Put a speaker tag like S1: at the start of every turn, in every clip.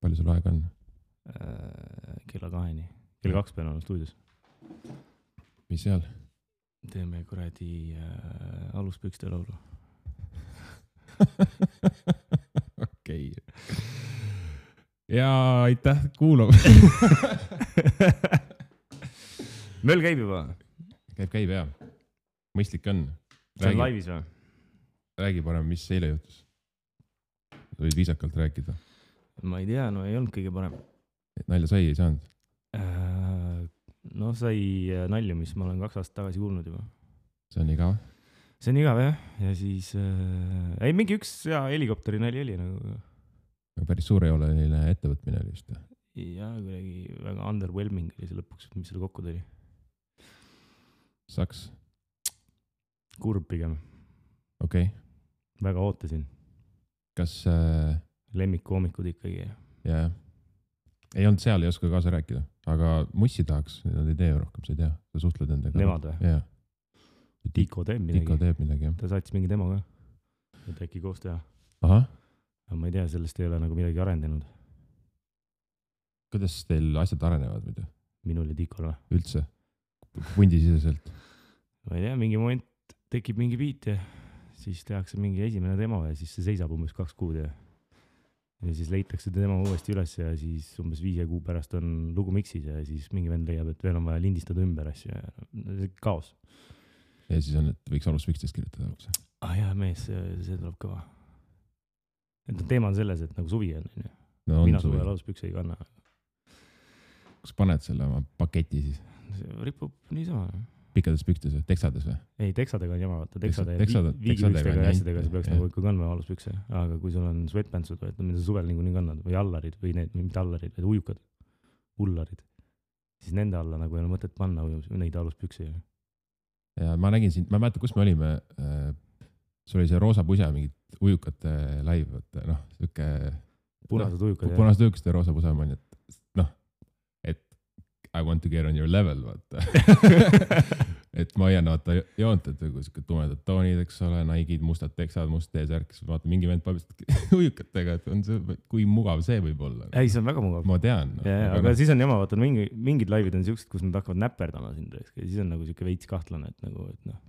S1: Palju sul aega on?
S2: Kella 2-ni. Kella 2 pean olema stuudios.
S1: Mis seal?
S2: Teeme kuradi aluspükste laulu.
S1: Okei. Ja aitäh kuulama.
S2: Möll käib juba.
S1: Käib jah. Mõistlik on.
S2: See on laivis või?
S1: Räägi parem, mis eile juhtus. Võid viisakalt rääkida.
S2: Ma ei tea, no ei olnud kõige parem.
S1: Nalja sai ei saanud?
S2: No sai nalju, mis ma olen 2 aastat tagasi kuulnud juba.
S1: See on igav?
S2: See on igav jah. Ja siis... ei, mingi üks helikopteri nali oli nagu...
S1: Päris suur ei ole neile ettevõtmine oli just.
S2: Ja kuidagi väga underwhelming oli see lõpuks, mis selle kokku tuli.
S1: Saks?
S2: Kurb pigem.
S1: Okei.
S2: Väga ootasin.
S1: Kas...
S2: Lemmikkoomikud ikkagi.
S1: Jaa. Ei olnud seal, ei oska kaasa rääkida. Aga mussi tahaks, nad ei tee rohkem, sa ei tea. Sa suhtled nendega.
S2: Nemad või?
S1: Jaa.
S2: Tiko teeb midagi.
S1: Tiko teeb midagi, jah.
S2: Ta saatis mingi demo ka. Et äkki koos teha.
S1: Aha.
S2: Aga ma ei tea, sellest ei ole nagu midagi arendanud.
S1: Kuidas teil asjad arenevad muidu?
S2: Minul ja Tikol või?
S1: Üldse? Pundisiseselt?
S2: Ma ei tea, mingi moment tekib mingi beat ja siis tehakse mingi esimene demo ja siis see seisab umbes 2 kuud ja siis leitakse demo uuesti üles ja siis umbes 5 kuu pärast on lugu miksis ja siis mingi vend leiab, et veel on vaja lindistada ümber asju ja kaos.
S1: Ja siis on, et võiks aluspükstest kirjutada.
S2: Jah, mees, see tuleb kõva. Et teema on selles, et nagu suvi on.
S1: No,
S2: mina suvel aluspükse ei kanna.
S1: Kas paned selle oma paketi siis?
S2: See ripub niisama.
S1: Pikkades pükstes või? Teksades või?
S2: Ei, teksadega on jama, vaata. Teksade ja viigipükstega ja asjadega sa peaks nagu ikka kandma aluspükse. Aga kui sul on sweatpantsud, mida sa suvel nii kannad, või allarid, või need, mitte allarid, vaid ujukad, ullarid, siis nende alla nagu ei ole mõtet panna neid aluspükse.
S1: Ja ma nägin siin, ma ei mäleta, kus me olime, sul oli see roosa pusa, mingid ujukate live, siuke...
S2: Punased ujukad.
S1: Punased ujukad ja roosa pusa, et I want to get on your level, vaata. Et ma hoian, vaata, joont, et kui tumedad toonid, eks ole, naigid, mustad teksad, must teesärk, siis vaata, mingi vend pabistab ujukatega, et on see, kui mugav see võib olla.
S2: Ei, see on väga mugav.
S1: Ma tean.
S2: Aga siis on jama, vaata, mingid laivid on siuksed, kus nad hakkavad näpperdama sind, ja siis on nagu siuke veits kahtlane, et nagu, et noh.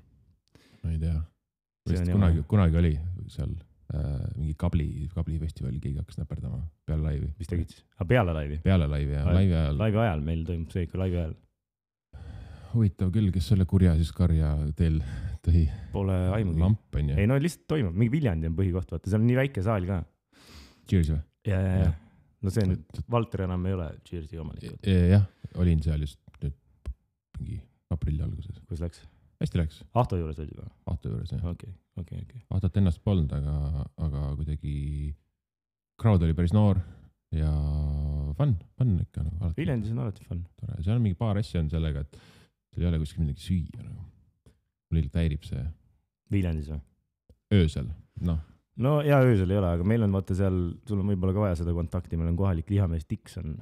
S1: Ma ei tea. Kunagi oli seal mingi kablifestivali keegi hakkas näperdama peale laivi.
S2: Mis tegid siis? Peale laivi?
S1: Peale laivi, jah. Laivi ajal.
S2: Laivi ajal meil toimub see ikka laivi ajal.
S1: Huvitav küll, kes selle kurja siis karja teil tõi?
S2: Pole aimugi.
S1: Lamp on ju.
S2: Ei, no lihtsalt toimub. Mingi Viljandi on põhikoht, vaata. See on nii väike saal ka.
S1: Cheers või?
S2: Ja. No see nüüd Valter enam ei ole Cheersi omanik.
S1: Jah, olin seal just nüüd mingi aprilli alguses.
S2: Kus läks?
S1: Hästi läks.
S2: Ahto juures olid või?
S1: Ahto juures, jah.
S2: Okei.
S1: Ahtot ennast polnud, aga kuidagi crowd oli päris noor ja fun ikka. Nagu,
S2: Viljandis on alati fun.
S1: Seal on mingi paar asja on sellega, et seal ei ole kuskil midagi süüa. Nagu. Mul ilmselt häirib see.
S2: Viljandis või?
S1: Öösel, noh.
S2: No ja öösel ei ole, aga meil on vaata seal, sul on võib-olla ka vaja seda kontakti, meil on kohalik lihamees Dixon.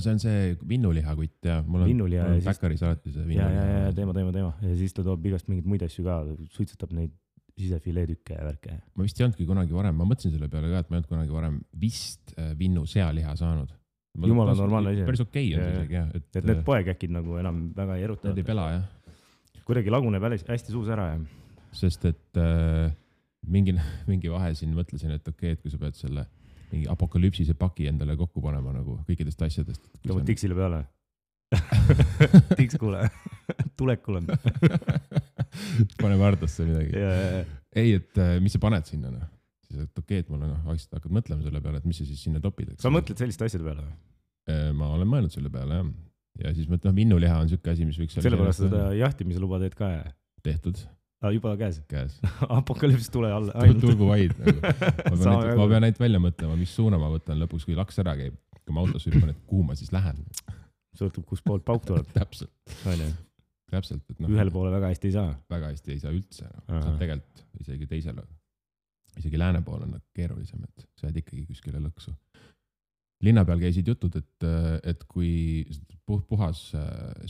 S1: See on see vinnulihakutt, jah. Mul on päkkaris alati see vinnuliha.
S2: Ja, teema. Ja siis ta toob igast mingid muid asju ka, suitsetab neid sisefileetükke ja värke.
S1: Ma vist ei olnudki kunagi varem, ma mõtlesin selle peale ka, et ma ei olnud kunagi varem vist vinnu sealiha saanud.
S2: Jumala normaalne asi.
S1: Päris okei on see isegi, jah.
S2: Et need poekäkid nagu enam väga ei eruta.
S1: Need ei pela, jah.
S2: Kuidagi laguneb hästi suus ära, jah.
S1: Sest et mingi vahe siin mõtlesin, et okei, et kui sa pead selle mingi apokalüpsise paki endale kokku panema nagu kõikidest asjadest.
S2: Tõmbad Dixile peale? Dix, kuule, tulekul on.
S1: Pane vardasse midagi.
S2: Ja.
S1: Ei, et mis sa paned sinna? No? Siis, et okei, et mulle hakkad mõtlema selle peale, et mis sa siis sinna topid.
S2: Sa mõtled selliste asjade peale?
S1: Ma olen mõelnud selle peale, jah. Ja siis mõtled, vinnuliha on siuke asi, mis võiks...
S2: Sellepärast seda jahtimise luba teed ka, jah?
S1: Tehtud.
S2: Juba käes?
S1: Käes.
S2: Apokalüpsis tule alla.
S1: Tulgu vaid. Nagu. Ma pean neid välja mõtlema, mis suuna ma võtan lõpuks, kui laks ära käib. Kui ma autos hüppan, et kuhu ma siis lähen.
S2: Sõltub, kus poolt pauk tuleb.
S1: Täpselt. Et
S2: ühele poole väga hästi ei saa.
S1: Väga hästi ei saa üldse. Saab tegelikult isegi teisele. Isegi lääne pool on keerulisem, et sa jääd ikkagi kuskile lõksu. Linna peal käisid jutud, et kui puhas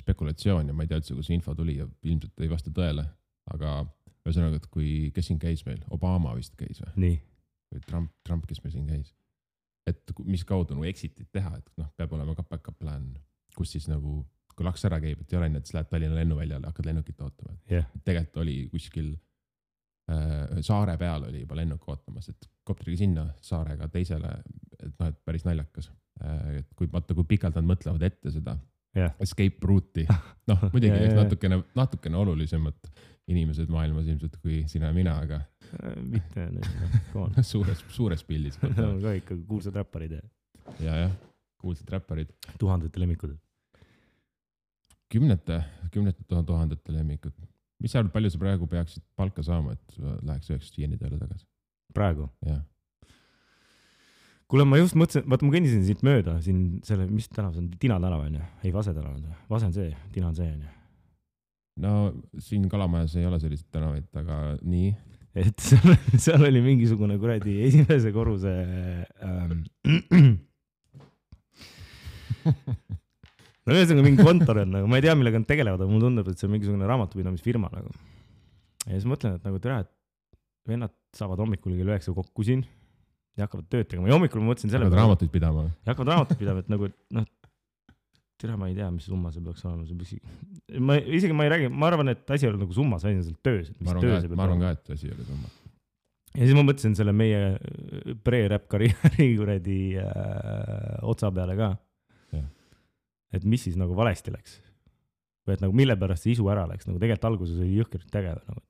S1: spekulatsioon ja ma ei tea üldse, kus info tuli ja ilmselt ei vasta tõele. Aga ühesõnaga, et kes siin käis meil? Obama vist käis või?
S2: Nii.
S1: Või Trump, kes meil siin käis. Et mis kaudu nagu exit'id teha, et noh, peab olema ka backup plan, kus siis nagu, kui laks ära käib, et ei ole nii, et siis lähed Tallinna lennuväljale, hakkad lennukit ootama. Tegelikult oli kuskil saare peal oli juba lennuk ootamas, et kopteriga sinna saarega teisele, et noh, et päris naljakas. Et kui pikalt nad mõtlevad ette seda escape route'i, noh muidugi natukene olulisemad inimesed maailmas ilmselt kui sina ja mina, aga
S2: mitte
S1: suures pildis.
S2: Ka ikka kuulsad räpparid.
S1: Ja, kuulsad räpparid.
S2: Tuhandete lemmikud.
S1: Kümnete tuhandete lemmikud. Mis sa arvad, palju sa praegu peaksid palka saama, et läheks 9 tööle tagasi?
S2: Praegu?
S1: Jah.
S2: Kuule, ma just mõtlesin, vaata ma kõndisin siit mööda, siin selle, mis tänav see on, Tina tänav on ju? Ei, Vase tänav on. Vase on see, Tina on see on ju.
S1: No siin Kalamajas ei ole sellised tänavaid, aga nii.
S2: Et seal oli mingisugune kuradi esimese korruse no ühesõnaga mingi kontor on, nagu, ma ei tea, millega nad tegelevad, aga mulle tundub, et see on mingisugune raamatupidamisfirma nagu. Ja siis mõtlen, et nagu tere, et vennad saavad hommikul kell 9 kokku siin ja hakkavad tööd tegema. Ja hommikul ma mõtlesin selle
S1: hakkavad raamatuid pidama.
S2: Ja hakkavad raamatuid pidama, et nagu, et noh, tere, ma ei tea, mis summa see peaks olema. Isegi ma ei räägi, ma arvan, et asi oli nagu summas, asi on seal töös.
S1: Ma arvan ka, et asi oli summas.
S2: Ja siis ma mõtlesin selle meie pre-rap karjääri kuradi otsa peale ka. Et mis siis nagu valesti läks. Või et nagu mille pärast see isu ära läks. Nagu tegelikult alguses oli jõhkert tegev. Nagu.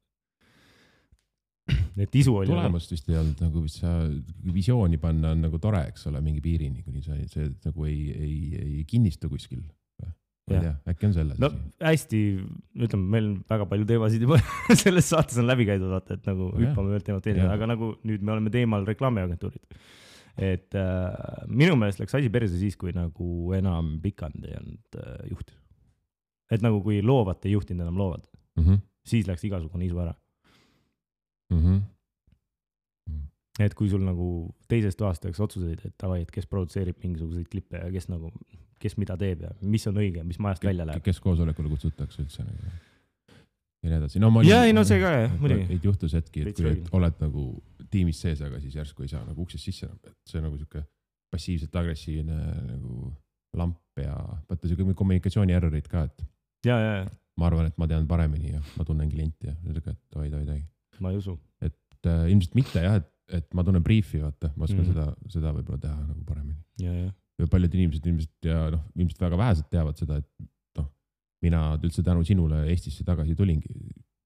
S2: Et isu oli...
S1: Tulemust vist ei olnud, nagu sa visiooni panna on nagu tore, eks ole, mingi piirini, kuni see nagu ei kinnistu kuskil. Ma ei tea, äkki on selles.
S2: No hästi, ütleme, meil on väga palju teemasid juba selles saates on läbi käidud, vaata, et nagu hüppame ühelt teemat teine, aga nagu nüüd me oleme teemal reklaamiagentuurid. Et minu meelest läks asi perse siis, kui nagu enam Pikand ei olnud juht. Et nagu kui loovad ei juhtinud enam loovad, siis läks igasugune isu ära. Et kui sul nagu teisest aastaks otsuseid, et tavai, et kes produtseerib mingisuguseid klippe ja kes mida teeb ja mis on õige, mis majast välja läheb.
S1: Kes koosolekule kutsutakse üldse nagu. Ja nii edasi.
S2: No see ka, muidugi.
S1: Et juhtus hetki, et kui oled nagu tiimis sees, aga siis järsku ei saa nagu uksest sisse. Et see on nagu siuke passiivselt agressiivne nagu lamp ja võtta siuke kommunikatsiooni errorid ka, et
S2: ja.
S1: Ma arvan, et ma tean paremini ja ma tunnen klienti ja ütlegi, et oi.
S2: Ma ei usu.
S1: Et ilmselt mitte jah, et ma tunnen briefi, vaata, ma oskan seda võib-olla teha nagu paremini.
S2: Ja.
S1: Paljud inimesed ilmselt ja noh, ilmselt väga vähesed teavad seda, et noh, mina üldse tänu sinule Eestisse tagasi tulingi,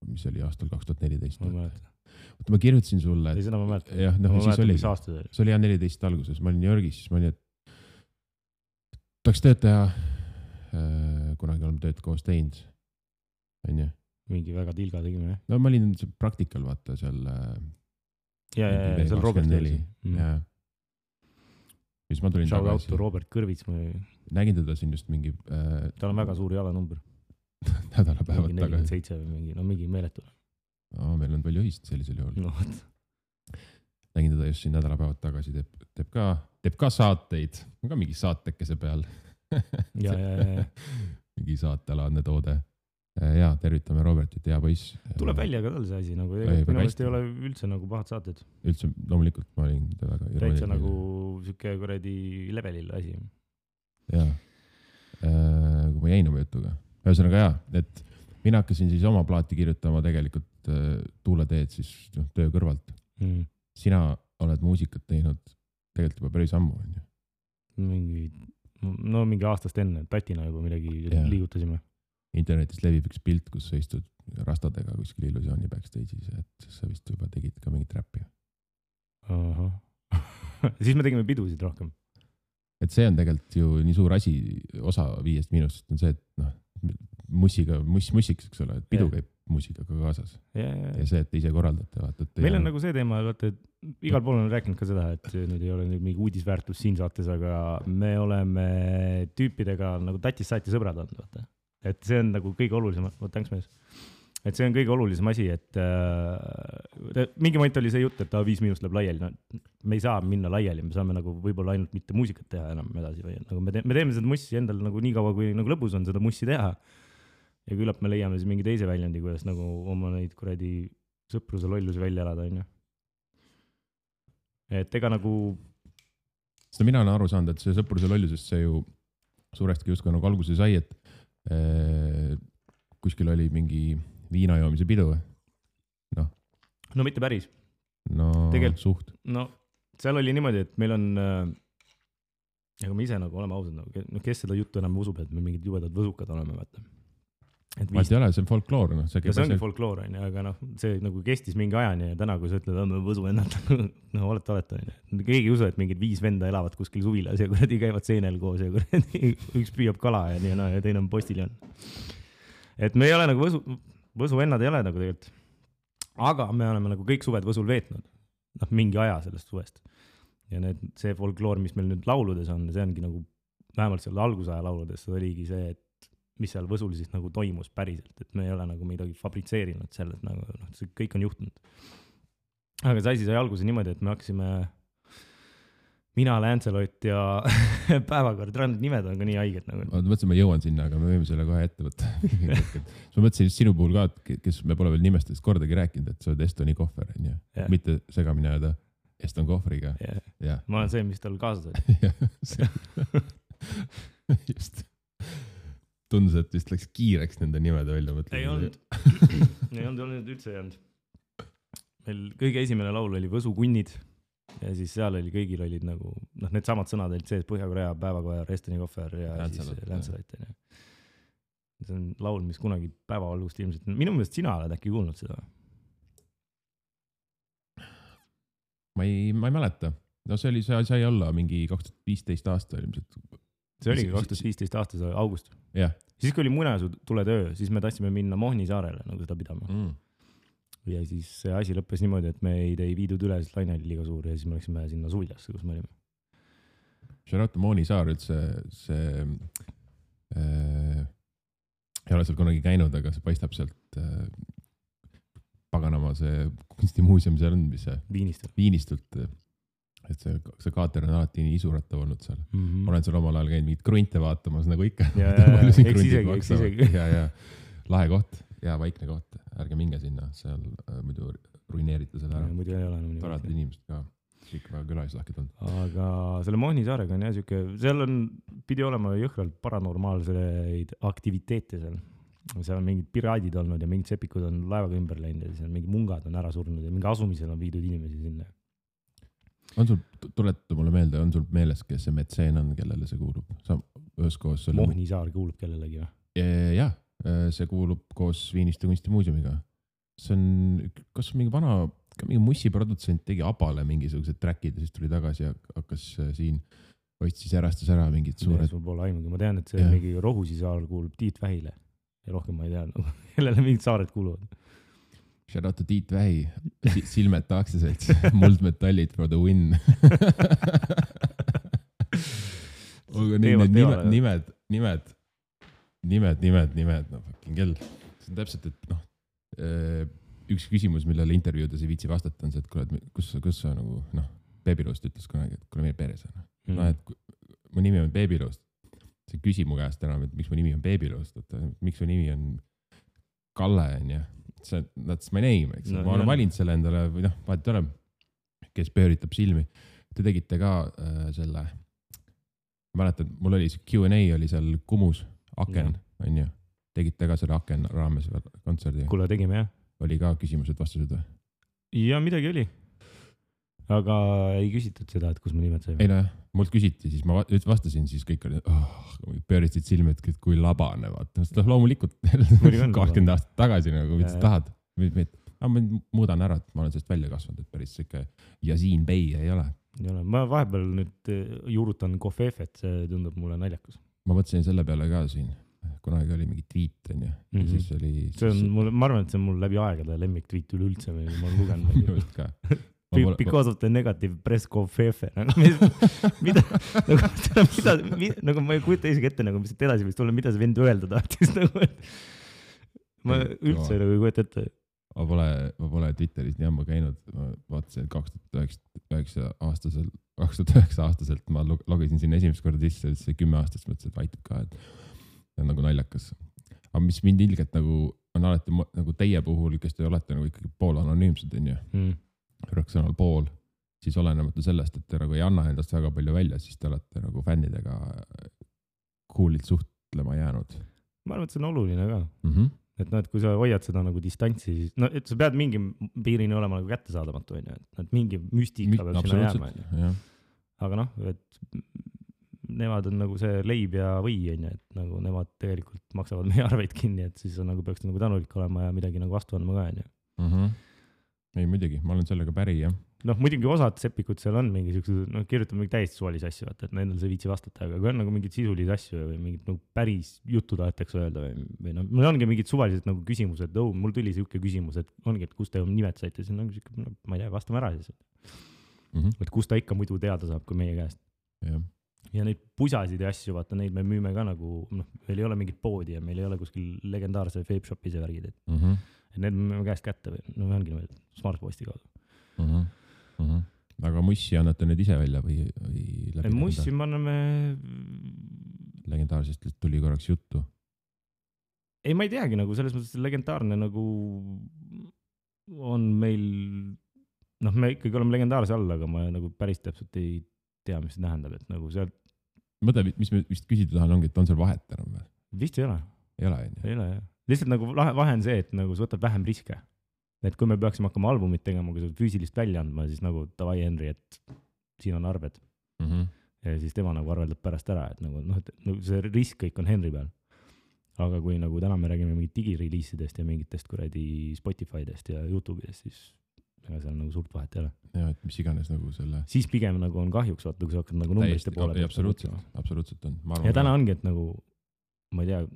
S1: mis oli aastal 2014. Ma kirjutasin sulle.
S2: Ei, seda ma mäletan.
S1: Jah, noh, siis oli. See oli 14 alguses, ma olin New Yorgis, siis ma olin, et tahaks tööd teha, kunagi oleme tööd koos teinud. On ju?
S2: Mingi väga tilga tegime, jah?
S1: No ma olin praktikal, vaata, seal
S2: seal Robert Kõrvits.
S1: Ja siis ma tulin
S2: tagasi. Shout out Robert Kõrvits.
S1: Nägin teda siin just mingi...
S2: Tal on väga suur jalanumber.
S1: Nädalapäevad tagasi.
S2: 47 või mingi, no mingi meeletu.
S1: Meil on palju ühist sellisel juhul.
S2: No,
S1: nägin teda just siin nädalapäevad tagasi. Teeb ka saateid. On ka mingi saatekese peal.
S2: Ja.
S1: Mingi saatealaadne toode. Ja tervitame Robertit, hea poiss.
S2: Tuleb välja ka tal see asi, nagu minu meelest ei ole üldse nagu pahad saated.
S1: Üldse, loomulikult ma olin väga
S2: täitsa nagu siuke kuradi levelil asi.
S1: Jaa, kui ma jäin oma jutuga. Ühesõnaga jaa, et mina hakkasin siis oma plaati kirjutama tegelikult tuuleteed siis töö kõrvalt. Sina oled muusikat teinud tegelikult juba päris ammu.
S2: Mingi aastast enne, Tatina juba midagi liigutasime.
S1: Internetis levib üks pilt, kus sa istud rastadega kuskil Illusiooni backstage'is, et sa vist juba tegid ka mingit räppi.
S2: Siis me tegime pidusid rohkem.
S1: Et see on tegelikult ju nii suur asi, osa 5 miinusest on see, et mussiks, eks ole, et pidu käib muusikaga kaasas. Ja see, et ise korraldate. Vaata,
S2: meil on nagu see teema, et igal pool on rääkinud ka seda, et nüüd ei ole mingi uudisväärtus siin saates, aga me oleme tüüpidega nagu tatist saati sõbrad olnud, vaata. Et see on nagu kõige olulisem, thanks mees. Et see on kõige olulisem asi, et mingi moment oli see jutt, et 5 miinust läheb laiali. No, me ei saa minna laiali, me saame nagu võib-olla ainult mitte muusikat teha enam edasi. Või, nagu me teeme seda mussi endal nagu nii kaua, kui nagu lõbus on seda mussi teha. Ja küllap me leiame siis mingi teise väljundi, kuidas nagu oma neid kuradi sõpruse lollusi välja elada. On ju. Et ega nagu...
S1: seda mina olen aru saanud, et see sõpruse lollusest see ju suuresti justkui nagu alguse sai, et kuskil oli mingi viinajoomise pidu.
S2: No mitte päris.
S1: No suht.
S2: No seal oli niimoodi, et meil on, aga me ise nagu oleme ausad, no kes seda juttu enam usub, et me mingid jubedad võsukad oleme, vaata.
S1: Vaat ei ole, see on folkloor. No,
S2: see ongi folkloor, aga noh, see nagu kestis mingi ajani ja täna, kui sa ütled, me võsu ennalt, no olete. Keegi ei usu, et mingid 5 venda elavad kuskil suvilas ja kuradi käivad seenel koos ja kuradi üks püüab kala ja nii ja teine on postiljon. Et me ei ole nagu võsu vennad ei ole nagu tegelikult. Aga me oleme nagu kõik suved võsul veetnud. Noh, mingi aja sellest suvest. Ja see folkloor, mis meil nüüd lauludes on, see ongi nagu vähemalt seal algusaja lauludes, see oligi see, et mis seal võsul siis nagu toimus päriselt, et me ei ole nagu midagi fabritseerinud selles, nagu see kõik on juhtunud. Aga see asi sai alguse niimoodi, et me hakkasime mina, Lancelot ja päevakord, nimed on ka nii haiged nagu.
S1: Ma mõtlesin, ma jõuan sinna, aga me võime selle kohe ette võtta. Ma mõtlesin sinu puhul ka, kes me pole veel nimestest kordagi rääkinud, et sa oled Estoni kohver, mitte segamine öelda Eston kohvriga.
S2: Yeah. Ma olen see, mis tal kaasas oli.
S1: Just. Tundus, et vist läks kiireks nende nimede välja mõtlema.
S2: Ei olnud üldse ei olnud. Meil kõige esimene laul oli Võsukunnid ja siis seal oli, kõigil olid nagu, need samad sõnad olid sees Põhja-Korea, Päevakoer, Estoni kohver ja Lancelot. See on laul, mis kunagi päevavalgust ilmselt, minu meelest sina oled äkki kuulnud seda?
S1: Ma ei mäleta. No see sai olla mingi 2015 aasta ilmselt.
S2: See oligi 2015 aastas august.
S1: Yeah.
S2: Siis kui oli Muinasju tuletöö, siis me tahtsime minna Mohni saarele nagu seda pidama. Ja siis see asi lõppes niimoodi, et me ei viidud üle, sest laine oli liiga suur ja siis me läksime sinna Suviljasse, kus me olime.
S1: Charlotte Mohni saar üldse, see ei ole seal kunagi käinud, aga see paistab sealt paganama see kunstimuuseum seal on, mis see Viinistult. Et see kaater on alati nii isurattav olnud seal. Olen seal omal ajal käinud mingit krunte vaatamas, nagu ikka.
S2: Eks isegi.
S1: Ja lahe koht, ja vaikne koht. Ärge minge sinna, seal muidu ruineerite selle ära.
S2: Muidu ei ole.
S1: Torad inimesed ka, kõik väga külalislahked on.
S2: Aga selle Mohni saarega on jah siuke, seal pidi olema jõhkralt paranormaalseid aktiviteete seal. Seal on mingid piraadid olnud ja mingid sepikud on laevaga ümber läinud ja seal mingid mungad on ära surnud ja mingi asumisel on viidud inimesi sinna.
S1: On sul, tuleta mulle meelde, on sul meeles, kes see metseen on, kellele see kuulub? Üheskoos
S2: Mohni saar kuulub kellelegi või?
S1: Jah, see kuulub koos Viiniste kunstimuuseumiga. See on, kas mingi vana, mingi mussiprodutsent tegi Abale mingisugused trackid ja siis tuli tagasi ja hakkas siin, siis järastas ära mingid suured.
S2: Sul pole aimugi, ma tean, et see mingi Rohusi saar kuulub Tiit Vähile ja rohkem ma ei tea, kellele mingid saared kuuluvad.
S1: Shout out to Tiit Vähi, Silmet aktsiaselts, muldmetallid for the win. Nimed, no fucking kell. See on täpselt, et üks küsimus, millele intervjuudes ei viitsi vastata, on see, et kuule, kus sa nagu, Beebiloost ütles kunagi, et kuule meie peres on. Et mu nimi on Beebiloost. See küsi mu käest enam, et miks mu nimi on Beebiloost, miks mu nimi on Kalle, on ja. That's my name, eks. Ma olen valinud selle endale, või vahet ole, kes pööritab silmi. Te tegite ka selle, ma mäletan, mul oli see Q&A oli seal Kumus, Aken, on ju. Tegite ka selle Aken raames kontserdi.
S2: Kuule, tegime, jah.
S1: Oli ka küsimused, vastused või?
S2: Ja midagi oli. Aga ei küsitud seda, et kus me nimed saime.
S1: Ei no, mult küsiti, siis ma vastasin, siis kõik oli, pöörisid silmi, et kui labane, vaata. Loomulikult 20 aastat tagasi, nagu mida sa tahad. Ma muudan ära, et ma olen sellest välja kasvanud, et päris siuke Yasin Bey ei ole.
S2: Ma vahepeal nüüd juurutan Kofefet, see tundub mulle naljakas.
S1: Ma mõtlesin selle peale ka siin. Kunagi oli mingi tweet, on ju. Ja siis oli...
S2: Ma arvan, et see on mul läbi aegade lemmik tweet üleüldse, ma olen lugenud.
S1: Just ka.
S2: Because of the negative press Kofefe. Nagu ma ei kujuta isegi ette, mis edasi võiks tulla, mida see vend öelda tahtis. Ma üldse ei kujuta ette.
S1: Ma pole Twitteris nii ammu käinud. Ma vaatasin 2009 aastaselt ma logisin sinna esimest korda sisse, et see 10 aastast mõtlesin, et vaitab ka, et see on nagu naljakas. Aga mis mind ilgelt nagu on alati nagu teie puhul, kes te olete nagu ikkagi pool anonüümsed, on ju. Rõksõnal pool, siis olenemata sellest, et te nagu ei anna endast väga palju välja, siis te olete nagu fännidega cool'ilt suhtlema jäänud.
S2: Ma arvan, et see on oluline ka. Et noh, et kui sa hoiad seda nagu distantsi, siis no, et sa pead mingi piirini olema nagu kättesaadamatu, on ju, et mingi müstika peab sinna jääma, on ju. Aga noh, et nemad on nagu see leib ja või, on ju, et nagu nemad tegelikult maksavad meie arveid kinni, et siis on nagu peaks nagu tänulik olema ja midagi nagu vastu andma ka, on ju.
S1: Ei, muidugi, ma olen sellega päri, jah.
S2: Noh, muidugi osad sepikud seal on mingi siuksed, noh, kirjutame mingi täiesti suvalisi asju, et nendel see viitsi vastata, aga kui on nagu mingid sisulisi asju või mingid nagu päris juttu tahetakse öelda või noh, mul ongi mingid suvalised nagu küsimused, et mul tuli siuke küsimus, et ongi, et kust te nimed saite, siis on nagu siuke, no, ma ei tea, vastame ära siis. Et kust ta ikka muidu teada saab, kui meie käest. Ja neid pusasid ja asju, vaata, neid me müüme ka nagu, noh, meil ei ole mingit poodi ja meil ei ole kuskil legendaarse vape shop'i see värgid, et need me müüme käest kätte või, no ongi niimoodi smartposti kaudu.
S1: Aga mussi annate need ise välja või läbi?
S2: Mussi me anname...
S1: Legendaarsest tuli korraks juttu.
S2: Ei, ma ei teagi nagu selles mõttes legendaarne nagu on meil, noh, me ikkagi oleme legendaarse all, aga ma nagu päris täpselt ei tea, mis see tähendab, et nagu seal...
S1: Mõtle, mis me vist küsida tahan ongi, et on seal vahet enam või?
S2: Vist ei ole.
S1: Ei ole,
S2: ei ole, jah. Lihtsalt nagu vahe on see, et nagu sa võtad vähem riske. Et kui me peaksime hakkama albumit tegema, kui sa füüsilist välja andma, siis nagu davai Henry, et siin on arved. Ja siis tema nagu arveldab pärast ära, et nagu, noh, et nagu see risk kõik on Henry peal. Aga kui nagu täna me räägime mingit digireleasidest ja mingitest kuradi Spotifydest ja YouTube'idest, siis ega seal nagu suurt vahet ei ole.
S1: Ja, et mis iganes nagu selle...
S2: Siis pigem nagu on kahjuks, vaata, kui sa hakkad nagu numbriste poole.
S1: Absoluutselt on.
S2: Ja täna ongi, et nagu, ma ei tea,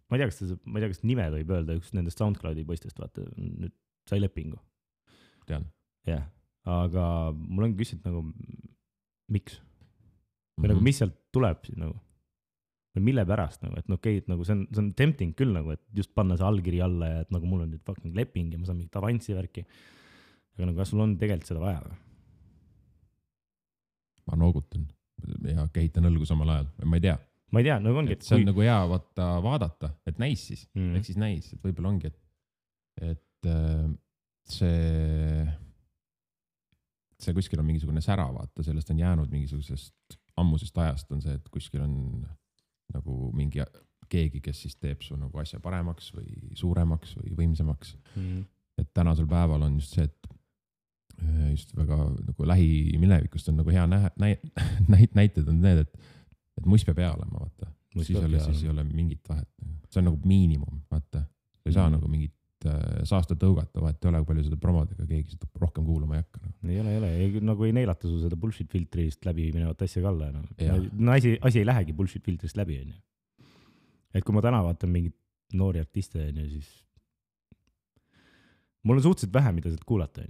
S2: ma ei tea, kas nime võib öelda, üks nendest SoundCloudi poistest, vaata, nüüd sai lepingu.
S1: Tean.
S2: Jah, aga mul on küsinud nagu, miks? Või nagu, mis sealt tuleb siis nagu? Või mille pärast nagu, et no okei, et nagu see on tempting küll nagu, et just panna see allkiri alla ja et nagu mul on nüüd fucking leping ja ma saan mingit avanssi värki. Aga nagu, kas sul on tegelikult seda vaja või?
S1: Ma noogutan ja kehitan õlgu samal ajal. Ma ei tea.
S2: Ma ei tea, nagu ongi,
S1: et see on nagu hea vaadata, et näis siis. Ehk siis näis, et võib-olla ongi, et see kuskil on mingisugune sära, vaata, sellest on jäänud mingisugusest ammusest ajast on see, et kuskil on nagu mingi keegi, kes siis teeb su nagu asja paremaks või suuremaks või võimsamaks. Et tänasel päeval on just see, et just väga nagu lähiminevikust on nagu hea näited on need, et muss peab hea olema, vaata. Siis ei ole mingit vahet. See on nagu miinimum, vaata. Sa ei saa nagu mingit saasta tõugata, vahet ei ole, kui palju seda promodega keegi seda rohkem kuulama ei hakka.
S2: Ei ole. Nagu ei neilata su seda bullshit filtrist läbi minevat asja ka alla. Asi ei lähegi bullshit filtrist läbi. Et kui ma täna vaatan mingit noori artiste, siis mul on suhteliselt vähe, mida sealt kuulata.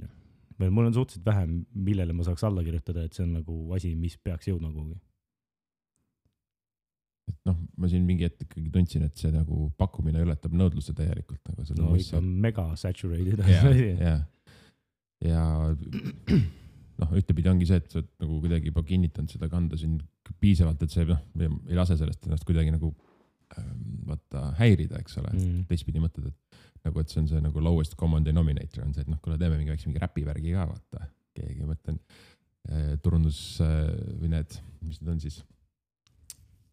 S2: Mul on suhteliselt vähe, millele ma saaks alla kirjutada, et see on nagu asi, mis peaks jõudma kuhugi.
S1: Et noh, ma siin mingi hetk ikkagi tundsin, et see nagu pakkumine ületab nõudluse täielikult. Nagu
S2: no ikka mega saturated.
S1: Ja noh, ühtepidi ongi see, et sa nagu kuidagi juba kinnitanud seda kanda siin piisavalt, et see ei lase sellest ennast kuidagi nagu vaata häirida, eks ole. Teistpidi mõtled, et see on see nagu lowest common denominator on see, et noh, kui teeme mingi räpivärgi ka, vaata. Keegi mõtlen turundus või need, mis need on siis?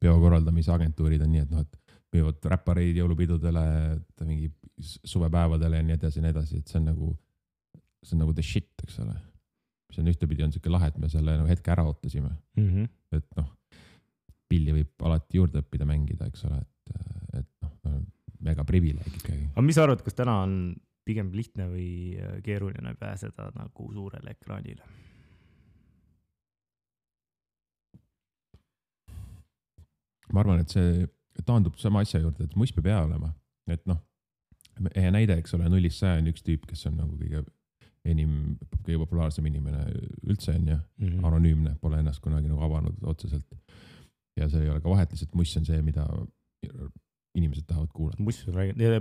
S1: Peokorraldamise agentuurid on nii, et noh, et müüvad räppareid jõulupidudele, mingi suvepäevadele ja nii edasi, et see on nagu the shit, eks ole. See on ühtepidi on selline lahe, et me selle nagu hetke ära ootasime. Et noh, pilli võib alati juurde õppida mängida, eks ole, et noh, mega privileeg ikkagi.
S2: Aga mis sa arvad, kas täna on pigem lihtne või keeruline pääseda nagu suurele ekraanile?
S1: Ma arvan, et see taandub sama asja juurde, et muss peab hea olema. Et noh, hea näide, eks ole, 0-100 on üks tüüp, kes on nagu kõige populaarsem inimene üldse on ja anonüümne, pole ennast kunagi nagu avanud otseselt. Ja see ei ole ka vahet, lihtsalt muss on see, mida inimesed tahavad kuulata.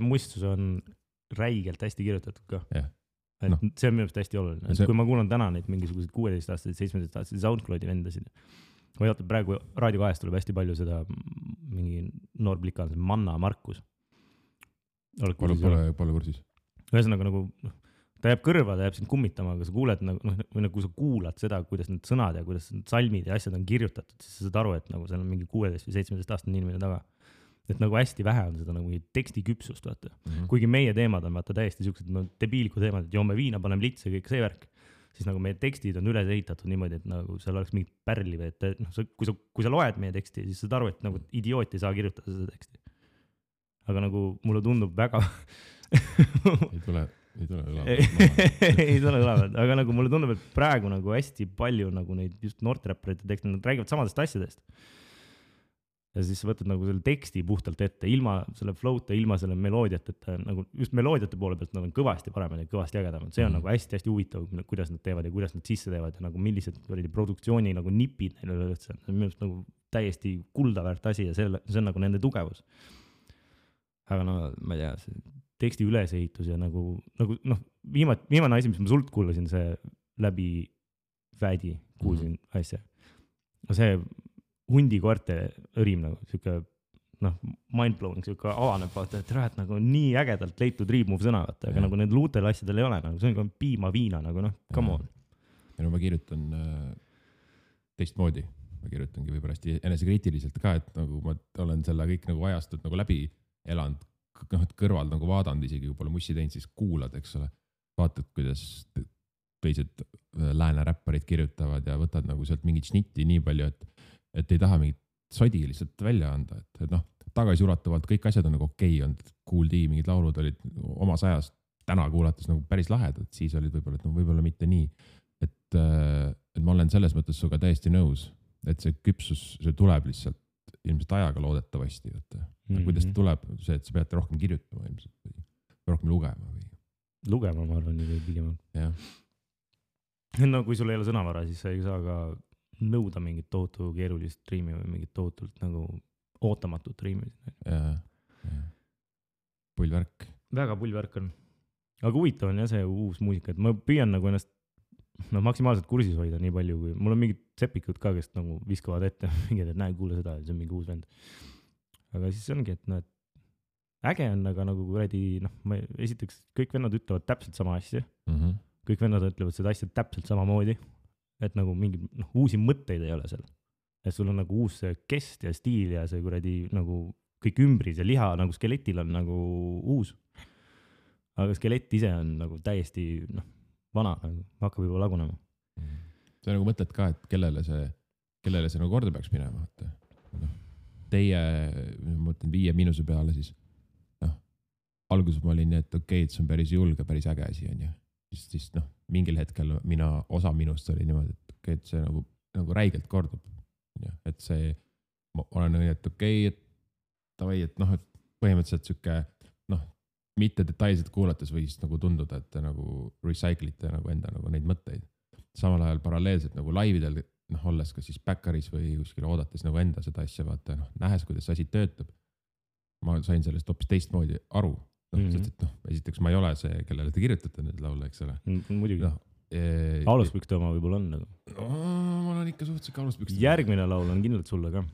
S2: Mustus on räigelt hästi kirjutatud ka.
S1: No.
S2: See on minu arust hästi oluline. Kui ma kuulan täna neid mingisugused 16-aastaseid, 17-aastaseid SoundCloudi vendasid, ma ei oota, praegu Raadio 2 tuleb hästi palju seda mingi noor plikal, Manna Markus.
S1: Pole kursis.
S2: Ühesõnaga nagu ta jääb kõrva, ta jääb sind kummitama, aga sa kuuled nagu, noh, või nagu sa kuulad seda, kuidas need sõnad ja kuidas need salmid ja asjad on kirjutatud, siis sa saad aru, et nagu seal on mingi 16 või 17 aastane inimene taga. Et nagu hästi vähe on seda nagu tekstiküpsust, vaata. Kuigi meie teemad on vaata täiesti siuksed no, debiilikud teemad, et joome viina, paneme litse, kõik see värk. Siis nagu meie tekstid on üles ehitatud niimoodi, et nagu seal oleks mingit pärli või et noh, kui sa loed meie teksti, siis saad aru, et nagu idioot ei saa kirjutada seda teksti. Aga nagu mulle tundub väga
S1: ei tule
S2: ei tule ülevad, aga nagu mulle tundub, et praegu nagu hästi palju nagu neid just noorteräpparite tekste, nad räägivad samadest asjadest. Ja siis sa võtad nagu selle teksti puhtalt ette, ilma selle flow'ta, ilma selle meloodiat, et nagu just meloodiate poole pealt nad on kõvasti paremad ja kõvasti ägedamad. See on nagu hästi huvitav, kuidas nad teevad ja kuidas nad sisse teevad ja nagu millised produktsiooni nagu nipid neil üleüldse. Minu arust nagu täiesti kuldaväärt asi ja see on nagu nende tugevus. Aga no ma ei tea, see teksti ülesehitus ja nagu noh, viimane asi, mis ma sult kuulasin, see läbi Vädi kuulsin asja. See hundikoerte õrim nagu siuke noh, mind-blowing, siuke avaneb vaata, et räät nagu nii ägedalt leitud riimuv sõna, vaata, aga nagu need luutel asjadel ei ole, nagu see on ka piima viina, nagu noh, come on.
S1: Ja no ma kirjutan teistmoodi, ma kirjutangi võib-olla hästi enesekriitiliselt ka, et nagu ma olen selle kõik nagu ajastud nagu läbi elanud, noh, et kõrval nagu vaadanud, isegi kui pole mussi teinud, siis kuulad, eks ole, vaatad, kuidas teised lääne räpparid kirjutavad ja võtad nagu sealt mingit šnitti nii palju, et ei taha mingit sodi lihtsalt välja anda, et noh, tagasiulatuvalt kõik asjad on nagu okei olnud, Kool D, mingid laulud olid omas ajas, täna kuulates nagu päris lahedad, siis olid võib-olla, et no võib-olla mitte nii, et ma olen selles mõttes suga täiesti nõus, et see küpsus, see tuleb lihtsalt ilmselt ajaga loodetavasti, kuidas ta tuleb, see, et sa pead rohkem kirjutama ilmselt või rohkem lugema või?
S2: Lugema, ma arvan, nii pigem. No kui sul ei ole sõnavara, siis sa ei saa ka nõuda mingit tohutu keerulist riimi või mingit tohutult nagu ootamatut riimi.
S1: Pullvärk.
S2: Väga pullvärk on. Aga huvitav on jah see uus muusika, et ma püüan nagu ennast maksimaalselt kursis hoida nii palju, kui mul on mingid sepikud ka, kes nagu viskavad ette mingid, et näe, kuule seda, see on mingi uus vend. Aga siis ongi, et noh, äge on, aga nagu kuradi, noh, esiteks kõik vennad ütlevad täpselt sama asja. Kõik vennad ütlevad seda asja täpselt samamoodi. Et nagu mingi uusi mõtteid ei ole seal. Et sul on nagu uus kest ja stiil ja see kuradi nagu kõik ümbris ja liha nagu skeletil on nagu uus. Aga skelett ise on nagu täiesti vana, nagu hakkab juba lagunema.
S1: See nagu mõtled ka, et kellele see nagu korda peaks minema. Teie, ma mõtlen 5 – peale siis, alguses ma olin nii, et okei, et see on päris julge, päris äge asi on ju. Siis mingil hetkel osa minust oli niimoodi, et okei, et see nagu räigelt kordub. Et see, ma olen nii, et okei, et tavai, et et põhimõtteliselt süke, mitte detailselt kuulates võis nagu tunduda, et te nagu recyclite nagu enda nagu neid mõtteid. Samal ajal paralleelselt nagu laividel, olles ka siis backeris või kuskil oodates nagu enda seda asja vaata, nähes, kuidas asi töötab. Ma sain sellest hoopis teistmoodi aru. Sest, et esiteks ma ei ole see, kellele te kirjutate need laule, eks ole.
S2: Muidugi. Aluspükste oma võib-olla on nagu.
S1: Ma olen ikka suhteliselt aluspükste.
S2: Järgmine laul on kindlalt sulle ka.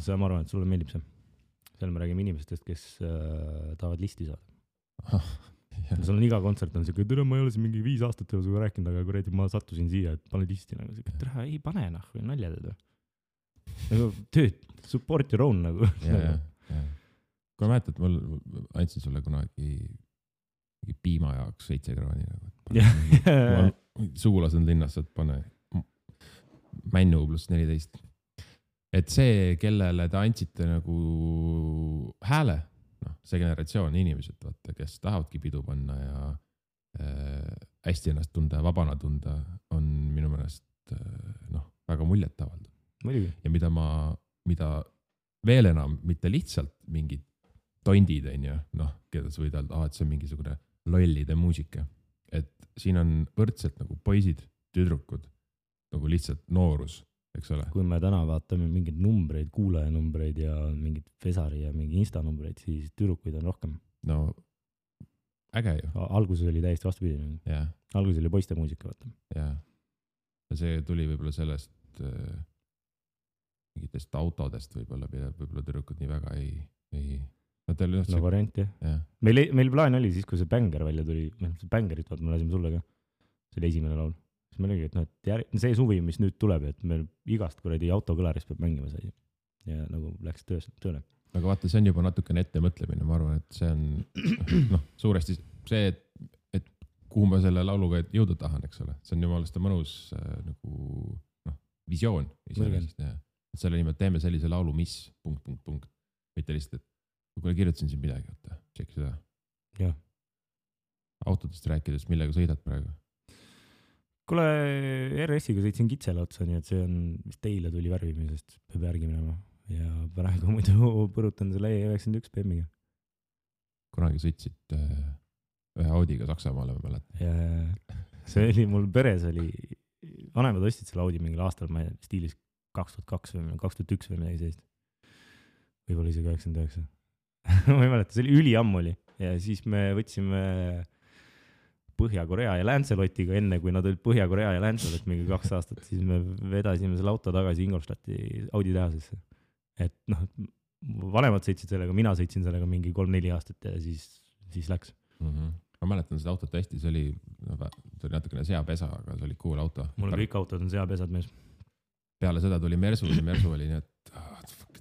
S2: See ma arvan, et sulle meeldib see. Seal me räägime inimestest, kes tahavad listi saada. Sul on iga kontsert on siuke, tere, ma ei ole siin mingi 5 aastat ei ole suga rääkinud, aga kuradi ma sattusin siia, et pane listi nagu siuke, tere, ei pane või nalja teed. Nagu tööd, support your own nagu.
S1: Kui ma mäletad, mul andsin sulle kunagi piima jaoks 7 krooni nagu. Sugulas on linnas, et pane männu +14. Et see, kellele te andsite nagu hääle, see generatsioon inimesed, vaata, kes tahavadki pidu panna ja hästi ennast tunda ja vabana tunda, on minu meelest väga muljet avaldav. Ja mida veel enam, mitte lihtsalt mingid tondid on ju, keda sa võid öelda, et see on mingisugune lollide muusika. Et siin on võrdselt nagu poisid, tüdrukud, nagu lihtsalt noorus, eks ole.
S2: Kui me täna vaatame mingeid numbreid, kuulajanumbreid ja mingid Fesari ja mingi Insta-numbreid, siis tüdrukuid on rohkem.
S1: No, äge ju.
S2: Alguses oli täiesti vastupidi. Alguses oli poiste muusika, vaata.
S1: Ja see tuli võib-olla sellest mingitest autodest võib-olla tüdrukud nii väga ei
S2: no variant jah. Meil plaan oli siis, kui see Bänger välja tuli, see Bängerit vaat me lasime sulle ka, see oli esimene laul, siis meil oligi, et see suvi, mis nüüd tuleb, et meil igast kuradi autokõlarist peab mängima sai ja nagu läks tööle.
S1: Aga vaata, see on juba natukene ettemõtlemine, ma arvan, et see on suuresti see, et kuhu ma selle lauluga jõuda tahan, eks ole, see on jumalast mõnus nagu visioon iseenesest, et selle nimelt teeme sellise laulu, mis ... mitte lihtsalt, et kui kirjutasin siin midagi, tšekki seda.
S2: Jah.
S1: Autodest rääkides, millega sõidad praegu?
S2: Kuule, RS-iga sõitsin kitsele otsa, nii et see on, mis teile tuli värvimisest, peab järgi minema ja praegu muidu põrutan selle E91 BMW-ga.
S1: Kunagi sõitsid ühe Audiga Saksamaale, ma mäletan.
S2: Ja see oli, mul peres oli, vanemad ostsid selle Audi mingil aastal, ma ei stiilis 2002 või 2001 või midagi sellist. Võib-olla isegi 99. ma ei mäleta, see oli üliammu oli ja siis me võtsime Põhja-Korea ja Lancelotiga enne, kui nad olid Põhja-Korea ja Lancelot mingi 2 aastat, siis me vedasime selle auto tagasi Ingolstadti Audi tehasesse. Et vanemad sõitsid sellega, mina sõitsin sellega mingi 3-4 aastat ja siis läks.
S1: Ma mäletan seda autot hästi, see oli natukene seapesa, aga see oli cool auto.
S2: Mul kõik autod on seapesad mees.
S1: Peale seda tuli Mersu ja Mersu oli nii, et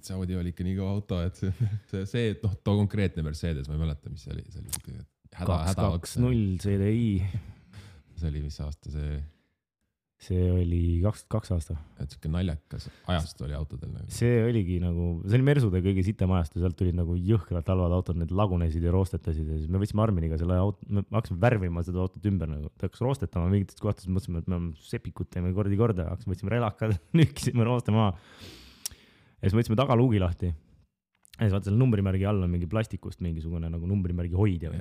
S1: see Audi oli ikka nii kõva auto, et see too konkreetne Mercedes, ma ei mäleta, mis see oli. See oli häda
S2: 220 CDI.
S1: See oli mis aasta see?
S2: See oli 22 aasta.
S1: Et siuke naljakas ajastu oli autodel. Nagu.
S2: See oligi nagu, see oli Mersude kõige sitem ajastu, sealt tulid nagu jõhkralt halvad autod, need lagunesid ja roostetasid ja siis me võtsime Arminiga selle auto, me hakkasime värvima seda autot ümber nagu, ta hakkas roostetama mingites kohtades, mõtlesime, et me sepikut teeme korda, hakkasime, võtsime relakad, nükkisime rooste maha ja siis võtsime tagaluugi lahti ja siis vaata selle numbrimärgi all on mingi plastikust mingisugune nagu numbrimärgi hoidja või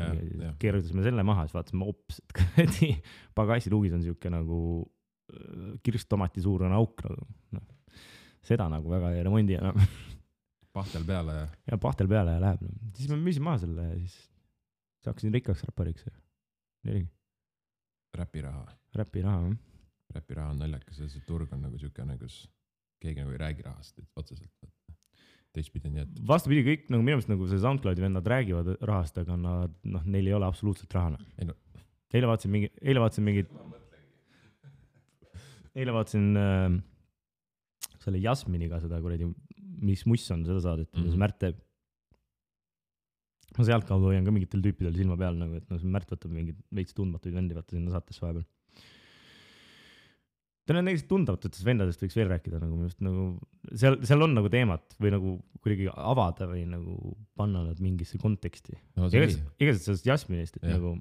S2: keerutasime selle maha, siis vaatasime hops, et pagassiluugis on siuke nagu kirsttomati suurune auk nagu. Seda nagu väga ei remondi enam.
S1: Pahtel peale ja?
S2: Ja pahtel peale ja läheb. Siis me müüsin maha selle ja siis hakkasin rikkaks räppariks.
S1: Räpiraha.
S2: Räpiraha.
S1: Räpiraha on naljakas ja see turg on nagu siukene, kus keegi nagu ei räägi rahast otseselt. Teistpidi nii, et...
S2: Vastupidi kõik, nagu minu meelest nagu see SoundCloudi vennad räägivad rahast, aga nad, neil ei ole absoluutselt rahana. Eile vaatasin selle Jasminiga seda kuradi, mis muss on seda saadet, mis Märt teeb. Ma sealt kaudu hoian ka mingitel tüüpidel silma peal, nagu, et see Märt võtab mingid veits tundmatuid vendi vaata sinna saatesse vahepeal. Ta on näiteks tundavatutest vendadest võiks veel rääkida, nagu, nagu seal on nagu teemat või nagu kuidagi avada või nagu panna nad mingisse konteksti.
S1: No,
S2: Igasest sellest Jasminist, et nagu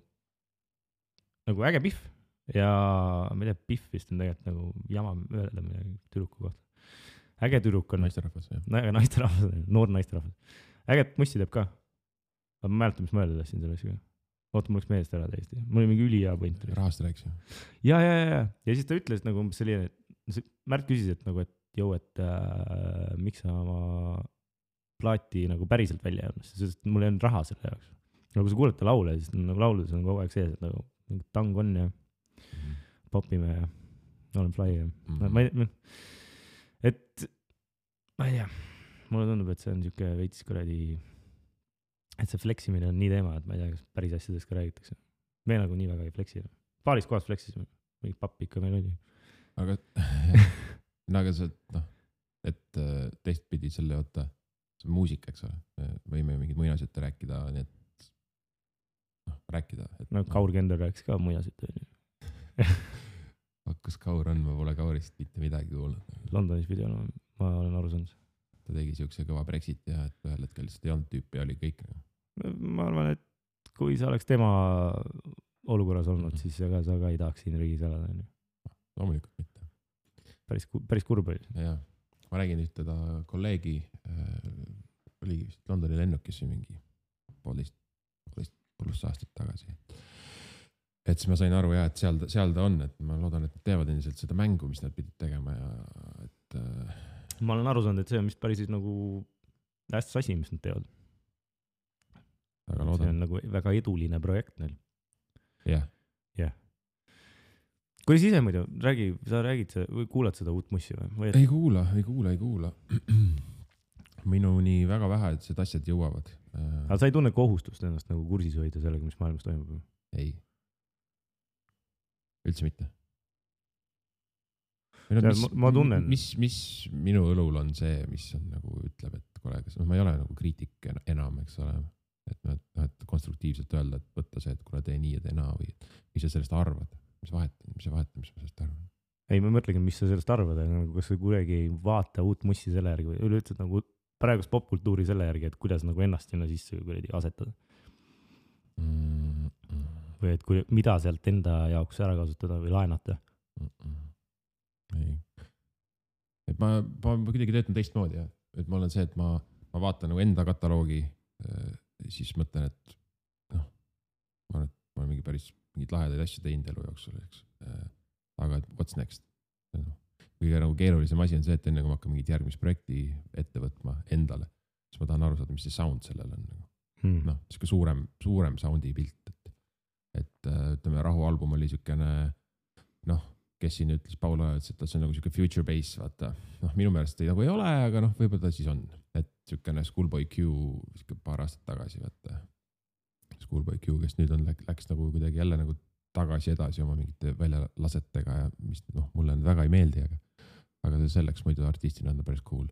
S2: äge pihv. Ja ma ei tea, pihv vist on tegelikult nagu jama öelda midagi tüdruku kohta. Äge tüdruk on.
S1: Naisterahvas, jah.
S2: Äge naisterahvas, noor naisterahvas. Äge mussi teeb ka. Ma mäletan, mis ma öelda tahtsin selle asjaga. Oota, mul läks meelest ära täiesti. Mul oli mingi ülihea point.
S1: Rahast rääks ju.
S2: Ja siis ta ütles nagu selline, Märt küsis, et nagu, et jõu, et miks sa oma plaati nagu päriselt välja jäänud, sest mul ei olnud raha selle jaoks. Nagu kui sa kuulete laule, siis nagu lauludes on kogu aeg sees, et nagu mingi tang on ja popime ja olen fly ja ma ei tea, mulle tundub, et see on siuke veits kuradi, et see fleksimine on nii teema, et ma ei tea, kas päris asjadest ka räägitakse. Me nagu nii väga ei fleksi. Paaris kohas fleksisime, mingi papp ikka meil oli.
S1: Aga see, et teistpidi selle oota, see on muusika, eks ole, võime mingid muinasjutte rääkida, nii et rääkida.
S2: No Kaur Kender rääkis ka muinasjutte.
S1: Kus Kaur on, ma pole Kaurist mitte midagi kuulnud.
S2: Londonis pidi olema, ma olen aru saanud.
S1: Ta tegi siukse kõva Brexit ja et ühel hetkel lihtsalt ei olnud tüüpi, oli kõik.
S2: Ma arvan, et kui sa oleks tema olukorras olnud, siis sa ka ei tahaks siin riigis elada.
S1: Loomulikult mitte.
S2: Päris kurb oli.
S1: Ja, ma räägin ühte kolleegi, oli Londoni lennukis mingi 1,5+ aastat tagasi. Et siis ma sain aru et seal ta on, et ma loodan, et nad teevad endiselt seda mängu, mis nad pidid tegema ja et...
S2: Ma olen aru saanud, et see on vist päris nagu hästi asi, mis nad teevad.
S1: Väga loodan.
S2: See on nagu väga eduline projekt neil.
S1: Jah.
S2: Kuidas ise muidu, sa räägid või kuulad seda uut mussi või?
S1: Ei kuula. minuni väga vähesed asjad jõuavad.
S2: Aga sa ei tunne kohustust ennast nagu kursis hoida sellega, mis maailmas toimub?
S1: Ei. Üldse mitte.
S2: Ma tunnen.
S1: Mis minu õlul on see, mis on nagu ütleb, et kuule, ma ei ole nagu kriitik enam, eks ole. Et konstruktiivselt öelda, et võtta see, et kuule, tee nii ja tee naa või mis sa sellest arvad? Mis sa vahetad, mis ma sellest arvan?
S2: Ei, ma mõtlengi, mis sa sellest arvad, aga kas sa kuidagi ei vaata uut mussi selle järgi või üleüldse nagu praegust popkultuuri selle järgi, et kuidas nagu ennast sinna sisse asetada? Või et mida sealt enda jaoks ära kasutada või laenata?
S1: Ei. Et ma kuidagi töötan teistmoodi, jah. Et ma olen see, et ma vaatan nagu enda kataloogi, siis mõtlen, et ma olen mingi päris mingid lahedaid asju teinud elu jooksul, eks. Aga what's next? Kõige nagu keerulisem asi on see, et enne kui ma hakkan mingit järgmist projekti ette võtma endale, siis ma tahan aru saada, mis see sound sellel on. Siuke suurem soundi pilt. Et ütleme, Rahu album oli siukene, kes siin ütles, Paul Oja, et see on nagu siuke future bass, vaata. Minu meelest nagu ei ole, aga võib-olla ta siis on. Et siukene Schoolboy Q siuke paar aastat tagasi, vaata. Schoolboy Q, kes nüüd läks nagu kuidagi jälle nagu tagasi edasi oma mingite väljalasetega ja mis mulle väga ei meeldi, aga see selleks muidu artistina on päris cool.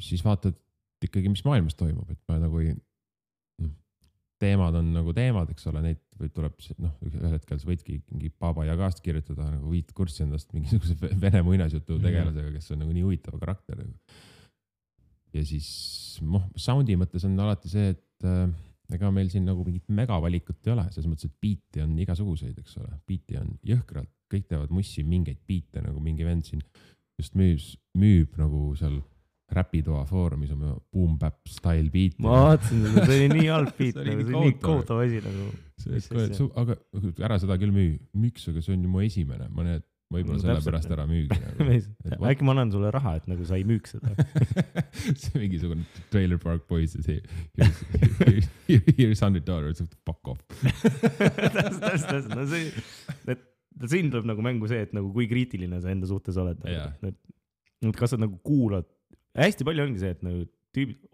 S1: Siis vaatad ikkagi, mis maailmas toimub, et ma nagu teemad on nagu teemad, eks ole, neid või tuleb, ühel hetkel sa võidki mingi Baba Yagast kirjutada nagu 5 kurssi endast mingisuguse vene muinasjutu tegelasega, kes on nagu nii huvitav karakter. Ja siis soundi mõttes on alati see, et ega meil siin nagu mingit megavalikut ei ole, selles mõttes, et biiti on igasuguseid, eks ole. Biiti on jõhkralt, kõik teevad mussi mingeid biite, nagu mingi vend siin just müüb nagu seal räpitoa foorumis oma boom bap style biiti.
S2: Ma vaatasin, see oli nii halb biit, see oli nii kohutav asi nagu.
S1: Aga ära seda küll miks, aga see on ju mu esimene, ma need võib-olla selle pärast ära müügi.
S2: Äkki ma annan sulle raha, et nagu sa ei müüks seda.
S1: See mingisugune Trailer Park Boys, here's $100, fuck off.
S2: Täpselt. Siin tuleb nagu mängu see, et nagu kui kriitiline sa enda suhtes oled. Kas sa nagu kuulad, hästi palju ongi see, et nagu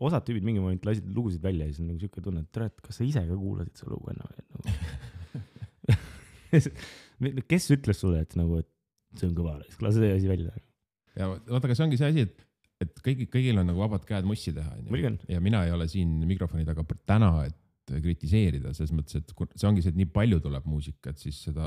S2: osad tüübid mingi moment lasid lugusid välja ja siis on nagu siuke tunne, et kas sa ise ka kuulasid see lugu enam? Kes ütles sulle, et nagu, et see on kõva, lase see asi välja.
S1: Ja vaata, aga see ongi see asi, et kõigil on nagu vabad käed mussi teha. Ja mina ei ole siin mikrofoni taga täna, et kritiseerida, selles mõttes, et see ongi see, et nii palju tuleb muusika, et siis seda,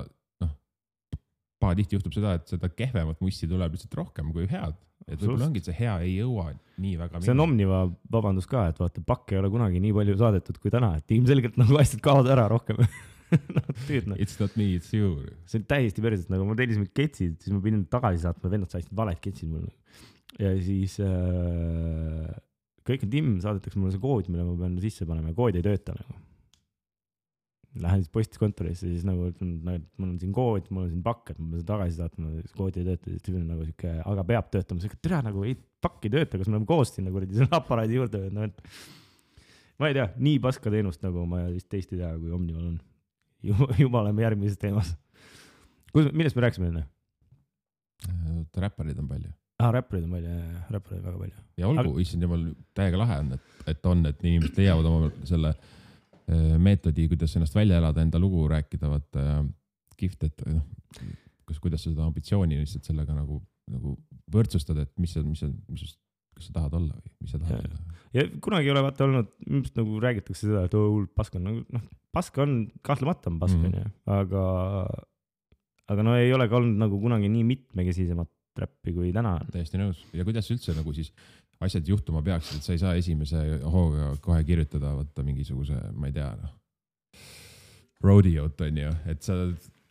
S1: tihti juhtub seda, et seda kehvemat mussi tuleb lihtsalt rohkem kui head. Et võib-olla ongi, et see hea ei jõua nii väga.
S2: See on Omniva vabandus ka, et vaata, pakk ei ole kunagi nii palju saadetud kui täna, et ilmselgelt nagu asjad kaovad ära rohkem.
S1: It's not me, it's you.
S2: See on täiesti päriselt, nagu ma tellisin ketsid, siis ma pidin tagasi saatma, vennad said valed ketsid mulle. Ja siis kõik on Tim, saadetakse mulle see kood, mille ma pean sisse panema ja kood ei tööta. Nagu. Lähen siis postiskontorisse, siis nagu mul on siin kood, mul on siin pakk, et ma pean tagasi saatma, kood ei tööta, siis nagu siuke, aga peab töötama, siis tere nagu pakk ei tööta, kas me oleme koos siin nagu selle aparaadi juurde. Ma ei tea, nii paska teenust nagu ma vist teist ei tea, kui Omnival on. Juba oleme järgmises teemas. Millest me rääksime enne?
S1: Räpparid on palju.
S2: Räpparid on palju, räpparid väga palju.
S1: Ja olgu, issand jumal, täiega lahe on, et inimesed leiavad oma selle meetodi, kuidas ennast välja elada, enda lugu rääkida, vaata kihvt, et kuidas sa seda ambitsiooni lihtsalt sellega nagu võrdsustad, et mis kas sa tahad olla või mis sa tahad olla.
S2: Ja kunagi ei ole vaata olnud, nagu räägitakse seda, et paska on, paska on, kahtlemata on paska, aga no ei ole ka olnud nagu kunagi nii mitmekesisemat räppi kui täna.
S1: Täiesti nõus. Ja kuidas üldse nagu siis asjad juhtuma peaksid, et sa ei saa esimese hooga kohe kirjutada vaata mingisuguse, ma ei tea, rodeot on ju, et sa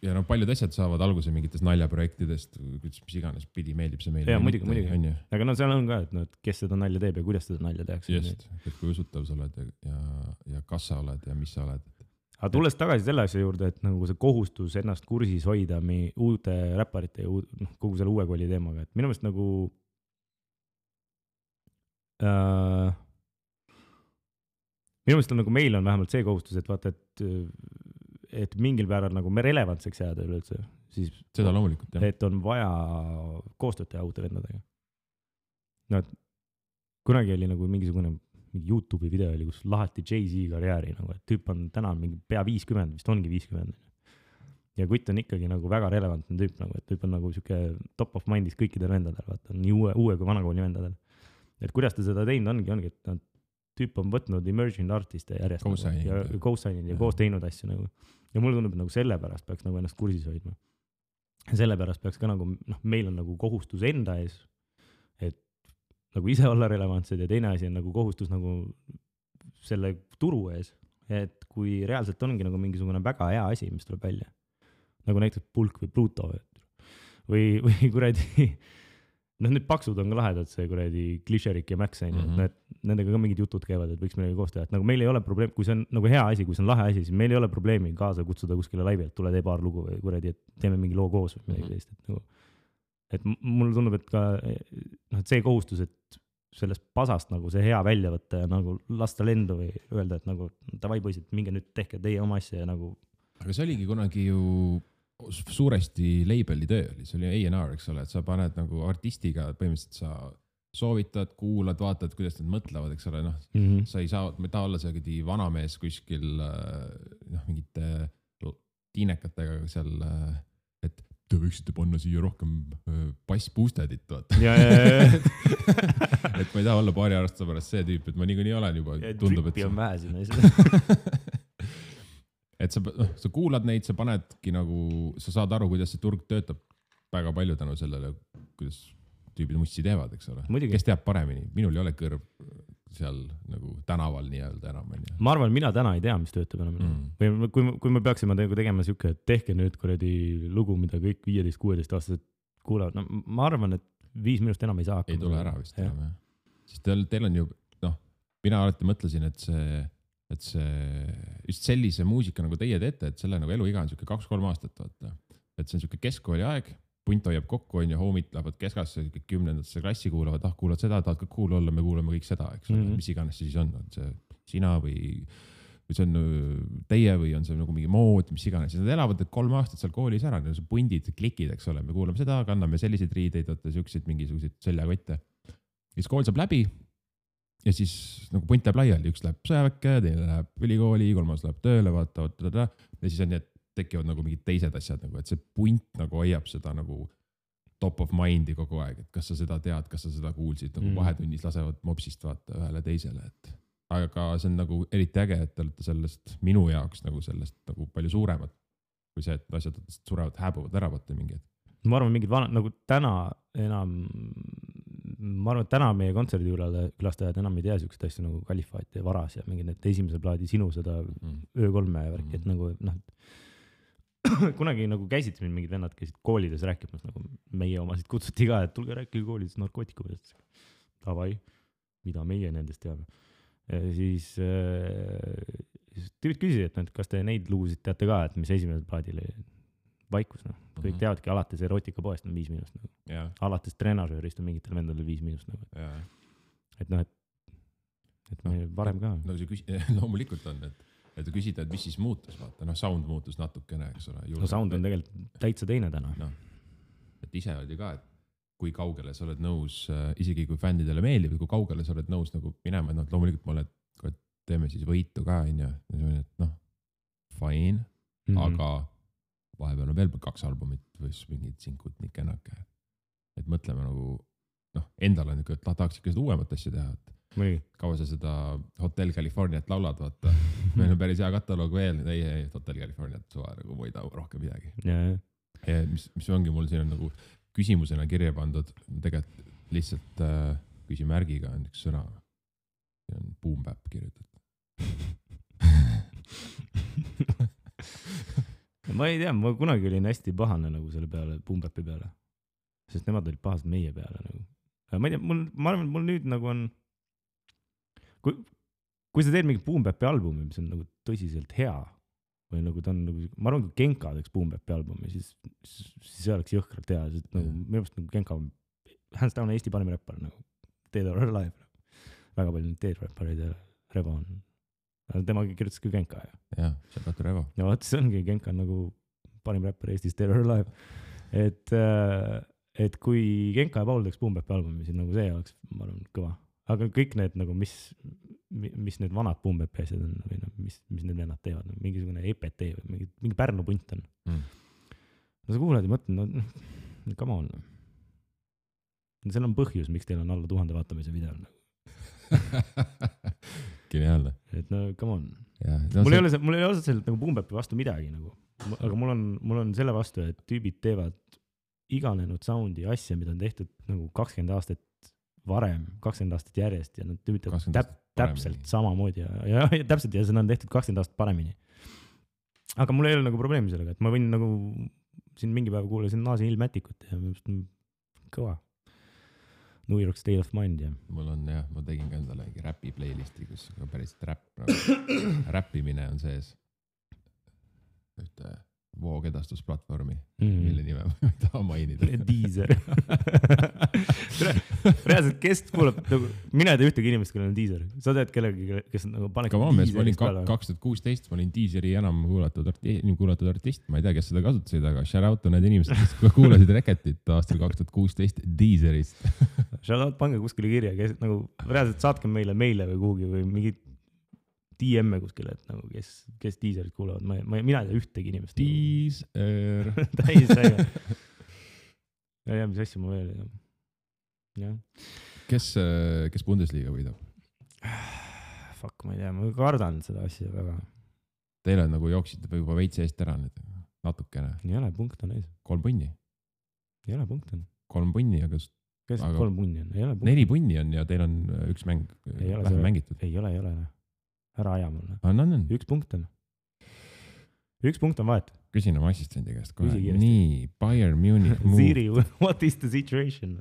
S1: ja paljud asjad saavad alguse mingites naljaprojektidest, mis iganes pidi meeldib see meile.
S2: Ja muidugi. Aga seal on ka, et kes seda nalja teeb ja kuidas seda nalja tehakse.
S1: Just, et kui usutav sa oled ja kas sa oled ja mis sa oled.
S2: Aga tulles tagasi selle asja juurde, et nagu see kohustus ennast kursis hoida uute räpparite ja kogu selle uue kooli teemaga, et minu meelest nagu minu meelest on nagu meil on vähemalt see kohustus, et vaata, et mingil päeval nagu me relevantseks jääda üleüldse, siis
S1: seda loomulikult,
S2: et on vaja koostööd teha uute vendadega. No, kunagi oli nagu mingisugune mingi YouTube'i video oli, kus lahati Jay-Z karjääri nagu, et tüüp on täna mingi pea 50, vist ongi 50. Ja kutt on ikkagi nagu väga relevantne tüüp nagu, et tüüp on nagu siuke top of mind'is kõikidel vendadel, vaata, nii uue kui vanakooli vendadel. Et kuidas ta seda teinud ongi, et tüüp on võtnud emerging artiste järjest ja co-signed ja koos teinud asju nagu. Ja mulle tundub, et nagu selle pärast peaks nagu ennast kursis hoidma. Ja selle pärast peaks ka nagu, meil on nagu kohustus enda ees, et nagu ise olla relevantsed ja teine asi on nagu kohustus nagu selle turu ees, et kui reaalselt ongi nagu mingisugune väga hea asi, mis tuleb välja, nagu näiteks Pulk või Pluto või kuradi, nüüd paksud on ka lahedad, see kuradi Klišerik ja Max, et nendega ka mingid jutud käivad, et võiks midagi koos teha, et nagu meil ei ole probleem, kui see on nagu hea asi, kui see on lahe asi, siis meil ei ole probleemi kaasa kutsuda kuskile laivi, et tule tee paar lugu või kuradi, et teeme mingi loo koos või midagi sellist, et nagu et mulle tundub, et ka et see kohustus, et sellest pasast nagu see hea välja võtta ja nagu lasta lendu või öelda, et nagu davai poisid, minge nüüd tehke teie oma asja ja nagu.
S1: Aga see oligi kunagi ju suuresti label'i töö oli, see oli A&R, eks ole, et sa paned nagu artistiga, põhimõtteliselt sa soovitad, kuulad, vaatad, kuidas nad mõtlevad, eks ole, sa ei saa, me taha olla see vanamees kuskil mingite tiinekatega seal, et te võiksite panna siia rohkem bass boostedit, vaata. Et ma ei taha olla paari aastase pärast see tüüp, et ma niikuinii olen juba, tundub, et
S2: trippi on vähe sinna.
S1: et sa kuulad neid, sa panedki nagu, sa saad aru, kuidas see turg töötab väga palju tänu sellele, kuidas tüübid mussi teevad, eks ole. Kes teab paremini, minul ei ole kõrv seal nagu tänaval nii-öelda enam.
S2: Ma arvan, mina täna ei tea, mis töötab enam. Või kui me peaksime tegema siuke, et tehke nüüd kuradi lugu, mida kõik 15-16 aastased kuulevad, ma arvan, et 5 minust enam ei saa hakkama.
S1: Ei tule ära vist enam, jah. Sest teil on ju, mina alati mõtlesin, et see just sellise muusika nagu teie teete, et selle nagu eluiga on siuke 2-3 aastat, vaata. Et see on siuke keskkooli aeg, punt hoiab kokku, on ju, homid lähevad keskasse, 10. klassi kuulavad, kuulad seda, tahad ka cool olla, me kuulame kõik seda, eks ole, mis iganes see siis on see sina või see on teie või on see nagu mingi mood, mis iganes. Nad elavad 3 aastat seal koolis ära, need on pundid, klikid, eks ole, me kuulame seda, kanname selliseid riideid, selliseid mingisuguseid seljakotte. Siis kool saab läbi ja siis nagu punt läheb laiali, üks läheb sõjaväkke, teine läheb ülikooli, 3. läheb tööle, vaata, ja siis on nii, et tekivad nagu mingid teised asjad, nagu, et see punt nagu hoiab seda nagu top of mind'i kogu aeg, et kas sa seda tead, kas sa seda kuulsid, nagu vahetunnis lasevad mopsist vaata ühele teisele, et aga see on nagu eriti äge, et te olete sellest minu jaoks nagu sellest nagu palju suuremad, kui see, et asjad surevad, hääbuvad ära vaata mingid.
S2: Ma arvan, mingid nagu täna enam, ma arvan, et täna meie kontserdikülastajad enam ei tea siukest asju nagu Kalifaat ja Varas ja mingid need esimese plaadi sinu seda öö3 värki, et nagu kunagi nagu käisid mingid vennad, käisid koolides rääkimas, nagu meie omasid kutsuti ka, et tulge rääkige koolides narkootikumidest. Tavai, mida meie nendest teame. Ja siis tüübid küsisid, et kas te neid lugusid teate ka, et mis esimesel plaadil vaikus, kõik teavadki, alates erotikapoest on 5 minust. Alates treenažöörist on mingitel vendadel 5 minust. Et et me varem ka.
S1: No see loomulikult on, et küsida, et mis siis muutus, vaata, sound muutus natukene, eks ole.
S2: No sound on tegelikult täitsa teine täna.
S1: Et ise oli ka, et kui kaugele sa oled nõus, isegi kui fännidele meeldib, kui kaugele sa oled nõus nagu minema, et loomulikult ma olen, et teeme siis võitu ka, et fine, aga vahepeal on veel 2 albumit või mingid sinkud nii kenake. Et mõtleme nagu, endal on niisugune, et tahaks ikka seda uuemat asja teha, et kaua sa seda Hotel Californiat laulad, vaata. Meil on päris hea kataloog veel, ei, Hotel Californiat suva, nagu ma ei taha rohkem midagi. Ja mis ongi mul siin on nagu küsimusena kirja pandud, tegelikult lihtsalt küsimärgiga on üks sõna, see on boom bap kirjutatud.
S2: Ma ei tea, ma kunagi olin hästi pahane nagu selle peale, boom bapi peale, sest nemad olid pahased meie peale nagu. Ma ei tea, ma arvan, et mul nüüd nagu on kui sa teed mingi boom bapi albumi, mis on nagu tõsiselt hea või nagu ta on nagu, ma arvan, kui Genka teeks boom bapi albumi, siis see oleks jõhkralt hea, sest nagu minu arust nagu Genka on hands down Eesti parim räppar nagu Dead or Alive. Väga palju need Dead räppareid ja Revo on. Temaga kirjutas ka Genka.
S1: Jah, see on Revo.
S2: Ja vaat see ongi, Genka on nagu parim räppar Eestis Dead or Alive. Et kui Genka ja Paul teeks boom bapi albumi, siis nagu see oleks, ma arvan, kõva. aga kõik need nagu, mis need vanad Boom-Bap asjad on või no, mis need vennad teevad, mingisugune EPT või mingi Pärnu punt on. No sa kuulad ja mõtled, no come on. Seal on põhjus, miks teil on alla 1000 vaatamise videol.
S1: Geniaalne.
S2: Et no come on.
S1: Ja,
S2: mul ei ole otseselt nagu Boom-Bapi vastu midagi nagu, aga mul on selle vastu, et tüübid teevad iganenud soundi asja, mida on tehtud nagu 20 aastat varem, 20 aastat järjest ja nad tüübid täpselt samamoodi ja täpselt ja seda on tehtud 20 aastat paremini. Aga mul ei ole nagu probleemi sellega, et ma võin nagu siin mingi päev kuulasin Naasi Ilmätikut ja kõva. New York State of Mind ja.
S1: Mul on jah, ma tegin ka endale mingi räpi playlisti, kus päris räppimine on sees. Ühte voogedastusplatvormi, mille nime ma ei taha mainida.
S2: Deezer. Reaalselt, kes kuulab, nagu, mina ei tea ühtegi inimest, kellel on Deezer. Sa tead kellegi, kes nagu paneb
S1: Deezerist peale? 2016 ma olin Deezeri enam kuulatud artist. Ma ei tea, kes seda kasutasid, aga shout out on need inimesed, kes kuulasid Reketit aastal 2016 Deezerist.
S2: Shout out, pange kuskile kirja, kes nagu reaalselt saatke meile või kuhugi või mingi DM-e kuskile, et nagu kes Deezerit kuulavad. Mina ei tea ühtegi inimest.
S1: Deezer.
S2: Täis äge. Ja mis asja ma veel ei tea. Ja.
S1: Kes Bundesliga võidab?
S2: Fuck, ma ei tea. Ma kardan seda asja väga.
S1: Teile nagu jooksite juba veits eest ära nüüd. Natukene.
S2: Ei ole, punkt on ees.
S1: 3 punni.
S2: Ei ole, punkt on.
S1: 3 punni, aga...
S2: Kes 3 punni on? Ei ole punkt.
S1: 4 punni on ja teil on üks mäng vähem mängitud.
S2: Ei ole. Ära aja mulle.
S1: On.
S2: 1 punkt on. 1 punkt on vahet.
S1: Küsin oma assistendi käest kohe. Nii, Bayern Munich move.
S2: Siri, what is the situation?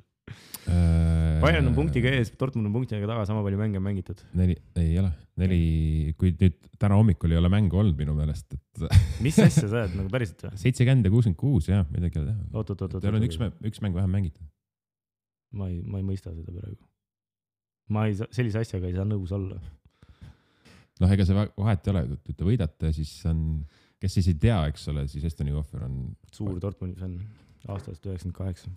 S2: Bayern on punktiga ees, Dortmund on punktiga taga, sama palju mänge mängitud.
S1: 4, ei ole. 4, kui nüüd täna hommikul ei ole mängu olnud minu meelest.
S2: Mis asja sa oled, nagu päriselt või?
S1: 70 ja 66, jah, midagi ei teha.
S2: Oot.
S1: Teil on üks mäng vähem mängitud.
S2: Ma ei mõista seda praegu. Sellise asjaga ei saa nõus olla.
S1: Noh, ega see vahet ei ole, kui te võidate, siis on, kes siis ei tea, eks ole, siis Estoni Kohver on...
S2: Suur Dortmundi fänn, aastast 98.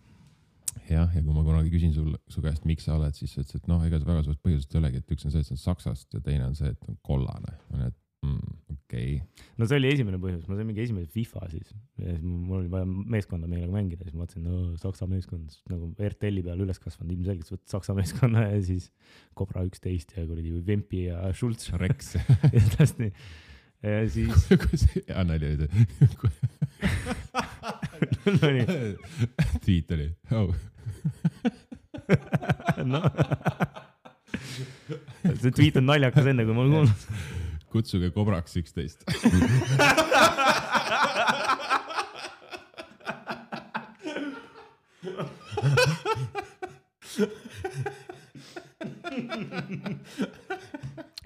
S1: Jah, ja kui ma kunagi küsin su käest, miks sa oled, siis sa ütlesid, et noh, ega see väga suurest põhjusest ei olegi, et üks on see, et see on Saksast ja teine on see, et on kollane. Okei.
S2: No see oli esimene põhjus, ma sain mingi esimene FIFA siis. Ja siis mul oli vaja meeskonda meelega mängida, siis ma mõtlesin, Saksa meeskond, nagu RTL-i peal üles kasvanud, ilmselgelt võtta Saksa meeskonna ja siis Cobra 11 ja kuradi Vempi ja Schulz.
S1: Rex.
S2: Ja täpselt nii. Ja siis...
S1: Ja nali oli
S2: No nii.
S1: Tweet oli.
S2: No. See tweet on naljakas enne, kui ma olen kuulnud.
S1: Kutsuge Kobraks 11.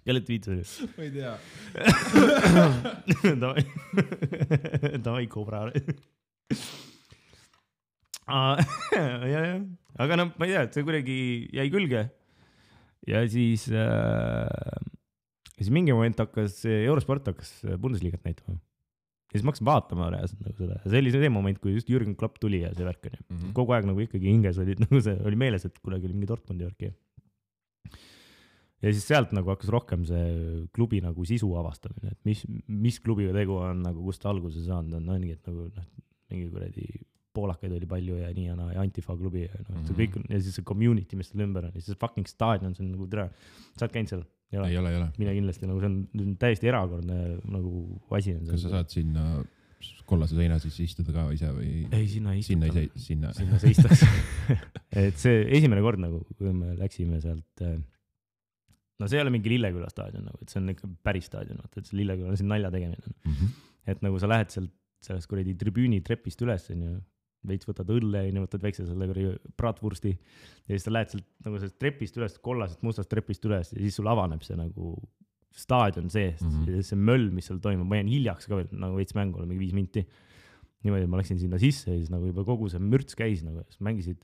S2: Kelle tweet oli?
S1: Ma ei tea.
S2: Davai Kobra. Ja. Aga no, ma ei tea, et see kuidagi jäi külge. Ja siis mingi moment Eurosport hakkas Bundesligat näitama. Ja siis ma hakkasin vaatama reaalselt nagu seda. See oli see moment, kui just Jürgen Klopp tuli ja see värk on ju. Kogu aeg nagu ikkagi hinges nagu see oli meeles, et kunagi oli mingi Dortmundi värk. Ja siis sealt nagu hakkas rohkem see klubi nagu sisu avastamine, et mis klubiga tegu on, nagu kust alguse saanud on, nii et nagu mingi kuradi poolakaid oli palju ja nii ja Antifa klubi ja see kõik on, ja siis see community, mis tal ümber on, ja siis fucking stadion, see on nagu tere. Sa oled käinud seal?
S1: Ei ole.
S2: Mine kindlasti, nagu see on täiesti erakordne nagu asi on.
S1: Kas sa saad sinna kollase seina siis istuda ka ise või?
S2: Ei, sinna
S1: Sinna
S2: seistaks. Et see esimene kord nagu, kui me läksime sealt, no see ei ole mingi Lilleküla staadion, nagu, et see on ikka päris staadion, et see Lilleküla on siin nalja tegemine. Et nagu sa lähed sellest kuradi tribüüni trepist üles, veits võtad õlle, võtad väikse selle bratwursti ja siis sa lähed sealt nagu sellest trepist üles, kollasest mustast trepist üles ja siis sul avaneb see nagu staadion seest ja see möll, mis seal toimub. Ma jään hiljaks ka veel, nagu veits mängu, mingi 5 minti. Niimoodi ma läksin sinna sisse ja siis nagu juba kogu see mürts käis, nagu mängisid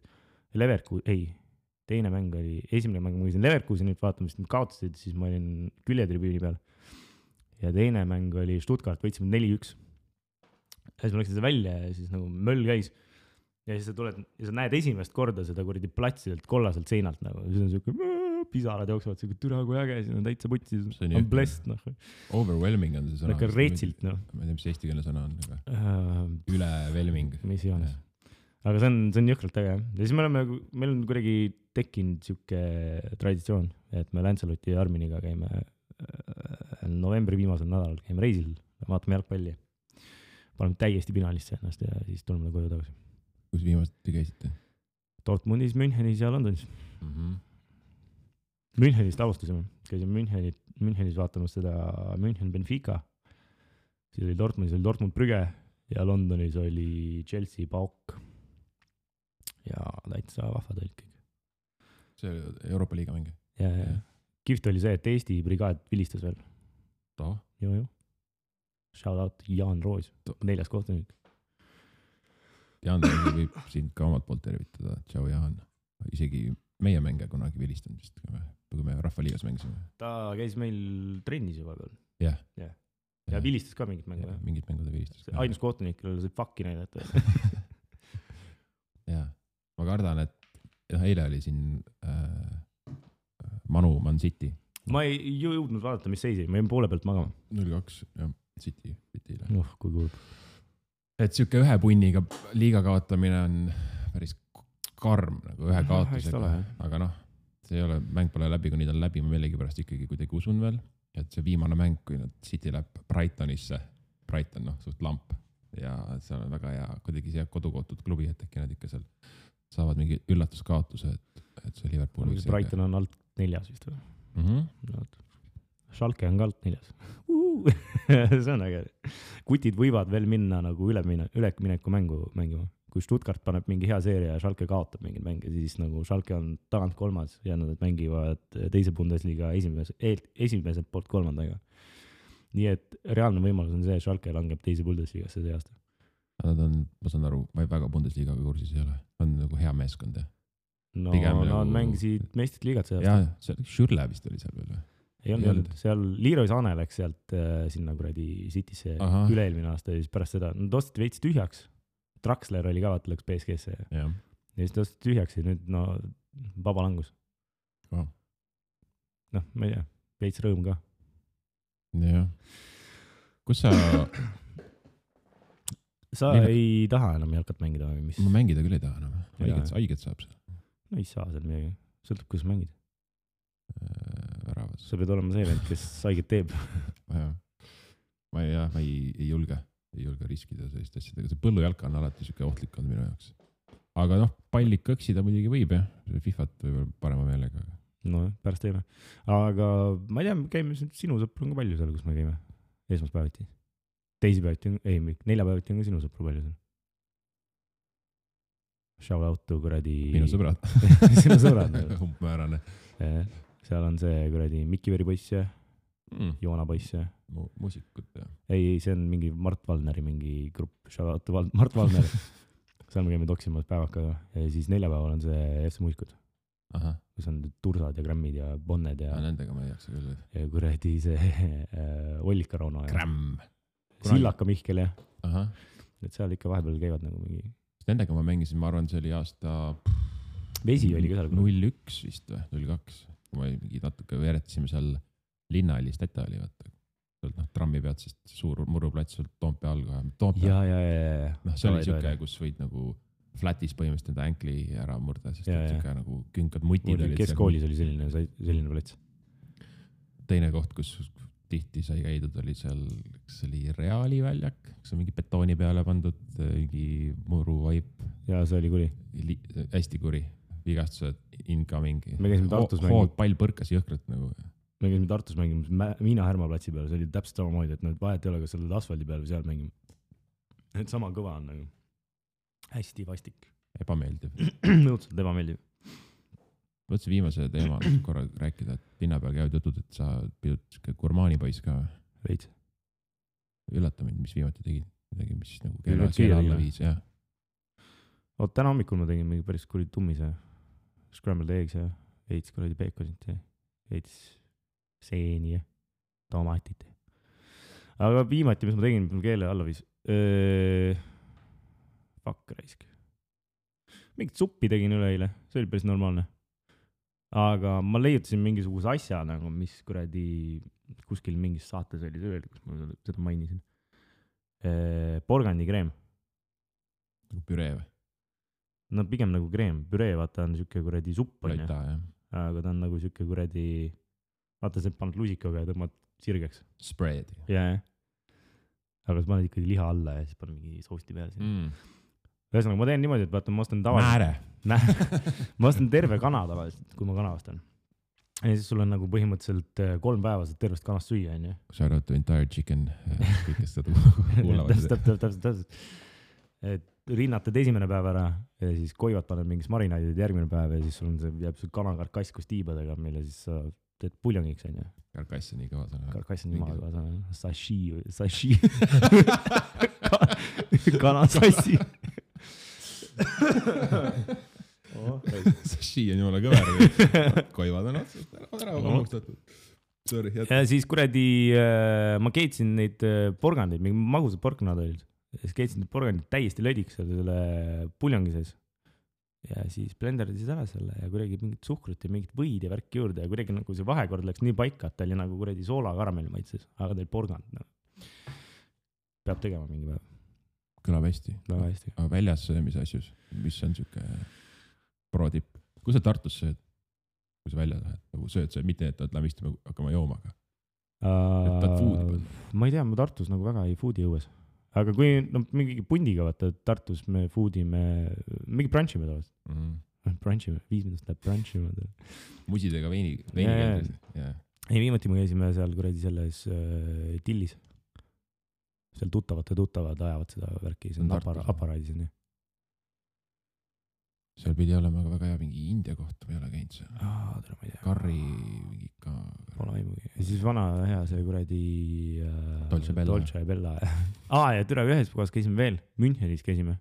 S2: teine mäng oli, esimene mäng mängisin Leverkusenit vaatama, sest nad kaotasid, siis ma olin küljetribüüni peal. Ja teine mäng oli Stuttgart, võitsime 4-1. Ja siis ma läksin seda välja ja siis nagu möll käis. Ja siis sa tuled ja sa näed esimest korda seda kuradi platsidelt kollaselt seinalt nagu. Siis on siuke pisarad jooksevad, see türa kui äge, siin on täitsa putsi,
S1: See on
S2: on
S1: jõhker.
S2: blessed, noh.
S1: Overwhelming on see sõna.
S2: Nagu retsilt, noh.
S1: Ma ei tea, mis eestikeelne sõna on, aga ülevelming.
S2: Mis iganes. Aga see on jõhkralt äge, jah. Ja siis meil on kuidagi tekkinud siuke traditsioon, et me Lancelotti ja Arminiga käime novembri viimasel nädalal, käime reisil, vaatame jalgpalli. Paneme täiesti pinalisse ennast ja siis tuleme koju tagasi.
S1: Kus viimasti käisite?
S2: Dortmundis, Münchenis ja Londonis. Münchenist alustasime. Käisime Münchenis vaatamas seda München Benfica. Siis oli Dortmundis oli Dortmund Brügge ja Londonis oli Chelsea Pauk. Ja täitsa vahvad olid kõik.
S1: See Euroopa liiga mängi?
S2: Ja. Kihvt oli see, et Eesti brigaad vilistas veel.
S1: Too?
S2: Joo. Shout out Jaan Roos, 4. kohtunik.
S1: Jaan võib sind ka omalt poolt tervitada. Tšau Jaan. Isegi meie mänge kunagi vilistanud vist, kui me Rahvaliigas mängisime.
S2: Ta käis meil trennis juba veel.
S1: Jah.
S2: Ja vilistas ka mingit mängu.
S1: Mingit mängu ta vilistas.
S2: Ainus kohtunik, kellele see fucki näidata.
S1: Jah. Ma kardan, et eile oli siin Manu Man City.
S2: Ma ei jõudnud vaadata, mis seisi. Ma jäin poole pealt magama.
S1: 0-2, jah, City'le.
S2: Kui kurb.
S1: Et siuke ühe punniga liiga kaotamine on päris karm, nagu ühe kaotusega. Aga see ei ole, mäng pole läbi, kui neid on läbi. Ma millegi pärast ikkagi kuidagi usun veel, et see viimane mäng, kui City läheb Brightonisse, Brighton, suht lamp. Ja seal on väga hea, kuidagi see kodukootud klubi, et äkki nad ikka seal saavad mingi üllatuskaotuse, et see Liverpool
S2: võiks Brighton on alt 4 vist või? Schalke on ka alt 4. See on äge. Kutid võivad veel minna nagu ülemineku mängu mängima. Kui Stuttgart paneb mingi hea seeria ja Schalke kaotab mingid mänge, siis nagu Schalke on tagant 3. ja nad mängivad teise Bundesliga esimesed poolt 3. Nii et reaalne võimalus on see, et Schalke langeb teise Bundesligasse see aasta.
S1: Nad on, ma saan aru, ma väga Bundesligaga kursis ei ole. On nagu hea meeskond.
S2: No, nad mängisid meistrit liigat see aasta.
S1: Jaa, seal Schürle vist oli seal veel.
S2: Ei olnud. Seal Leroy Saane läks sealt sinna kuradi Citysse üle-eelmine aasta ja siis pärast seda. Nad ostid veits tühjaks. Draxler oli ka, vaata, läks PSG-sse. Ja siis ta ostid tühjaks ja nüüd vaba langus. Ma ei tea, veits rõõm ka.
S1: Jah. Kus sa
S2: ei taha enam jalkat mängida või mis?
S1: Ma mängida küll ei taha enam. Haiget saab seal.
S2: No ei saa seal midagi. Sõltub, kuidas mängid.
S1: Väravas.
S2: Sa pead olema see vend, kes haiget teeb.
S1: Ma ei julge riskida sellist asjadega. See põllujalka on alati siuke ohtlik on minu jaoks. Aga pallik kõksida muidugi võib, jah. Fifat võib parema meelega.
S2: No pärast teeme. Aga ma ei tea, käime sinu sõpru on ka palju seal, kus me käime. Esmaspäeviti. Neljapäeviti on ka sinu sõpru palju seal. Shout out to kuradi...
S1: Minu sõbrad.
S2: Sinu sõbrad.
S1: Umbmäärane.
S2: Seal on see kuradi Mikiveri poiss ja Joona poiss ja...
S1: Muusikut, jah.
S2: Ei, see on mingi Mart Valneri mingi grupp. Shout out to Mart Valner. Seal me käime toksimas päevakaga. Ja siis neljapäeval on see FC Muusikud. Kus on Tursad ja Grammid ja Bonned ja...
S1: Nendega ma ei jaksa küll.
S2: Ja kuradi see Ollika Rauno.
S1: Gramm.
S2: Sillaka Mihkel, jah.
S1: Aha.
S2: Et seal ikka vahepeal käivad nagu mingi...
S1: Nendega ma mängisin, ma arvan, see oli aasta...
S2: Vesi oli ka seal.
S1: 01 vist või, 02. Kui ma mingi natuke veeretasime seal Linnahallis, Täta oli, vaata. Trammi pealt, sest suur muruplats seal Toompea all kohe.
S2: Ja.
S1: See oli siuke, kus võid nagu flatis põhimõtteliselt enda änkli ära murda, sest siuke nagu künkad mutid olid.
S2: Keskkoolis oli selline plats.
S1: Teine koht, kus tihti sai käidud, oli seal, kas oli Reali väljak, kus on mingi betooni peale pandud, mingi muru vaip.
S2: Ja see oli kuri.
S1: Hästi kuri. Vigastused, incoming.
S2: Me käisime Tartus
S1: mängima. Pall põrkas jõhkralt nagu.
S2: Me käisime Tartus mängima Miina Härma platsi peal. See oli täpselt sama moodi, et need vahet ei ole, kas seal asfaldi peal või seal mängima. Et sama kõva on nagu. Hästi vastik.
S1: Ebameeldiv.
S2: Nõudselt ebameeldiv.
S1: Mõtlesin viimase teema korra rääkida, et linna peal käivad jutud, et sa pidud gurmaani poiss ka.
S2: Veits.
S1: Üllata mind, mis viimati tegid. Midagi, mis nagu keele alla viis, jah.
S2: Täna hommikul ma tegin mingi päris kuri tummis ja scrambled eggs ja veits kuradi peekonit ja veits seeni ja tomatit. Aga viimati, mis ma tegin, mul keele alla viis. Fuck raisk. Mingit suppi tegin üleeile, see oli päris normaalne. aga ma leiutasin mingisuguse asja nagu, mis kuradi kuskil mingis saates oli see öeldi, kus ma seda mainisin. Porgandikreem.
S1: Nagu püree või?
S2: No pigem nagu kreem. Püree, vaata, on siuke kuradi supp.
S1: Laita, jah.
S2: Aga ta on nagu siuke kuradi, vaata, sa paned lusikaga ja tõmbad sirgeks.
S1: Spread.
S2: Jaa. Aga sa paned ikkagi liha alla ja siis paned mingi sousti peale siin. Ühesõnaga, ma teen niimoodi, et vaata, ma ostan ma ostan terve kana tavaliselt, kui ma kana ostan. Ja siis sul on nagu põhimõtteliselt 3 päeva saad tervest kanast süüa, on ju.
S1: Shout out to entire chicken, kõik, kes seda kuulavad.
S2: Täpselt. Et rinnatad esimene päev ära ja siis koivad paned mingis marinaadid järgmine päev ja siis sul on see, jääb see kanakarkass koos tiibadega, mille siis sa teed puljongiks, on ju.
S1: Karkass on nii kõva sõna.
S2: Karkass on nii kõva sõna. Sashi. Kanasassi.
S1: Sashi on jumala kõver. Koivad on otsast ära hammustatud.
S2: Ja siis kuradi, ma keetsin neid porgandeid, mingi magusad porknad olid. Siis keetsin neid porgandid täiesti lödiks selle puljongi sees. Ja siis blenderdasid ära selle ja kuidagi mingit suhkrut ja mingit võid ja värk juurde ja kuidagi nagu see vahekord läks nii paika, et ta oli nagu kuradi soola karamelli maitses, aga teil porgand. No. Peab tegema mingi päev.
S1: Kõlab hästi. Aga väljas söömise asjus, mis on siuke pro-tipp? Kui sa Tartus sööd? Kui sa välja lähed? Nagu sööd, mitte et lähe istuma hakkama joomaga?
S2: Ma ei tea, ma Tartus nagu väga ei foodi õues. Aga kui mingi pundiga vaata, Tartus me foodime, mingi brunchime tavaliselt. Brunchime, 5 minutit läheb brunchime.
S1: Musidega veini keldris.
S2: Ei, viimati me käisime seal kuradi selles Tillis. Seal tuttavad ajavad seda värki, see on aparaadis.
S1: Seal pidi olema ka väga hea mingi India koht, ma ei ole käinud seal.
S2: Tere, ma ei tea.
S1: Karri mingi ka.
S2: Pole aimugi. Ja siis vana hea see kuradi Dolce Bella. Ja tere, ühes kohas käisime veel. Münchenis käisime.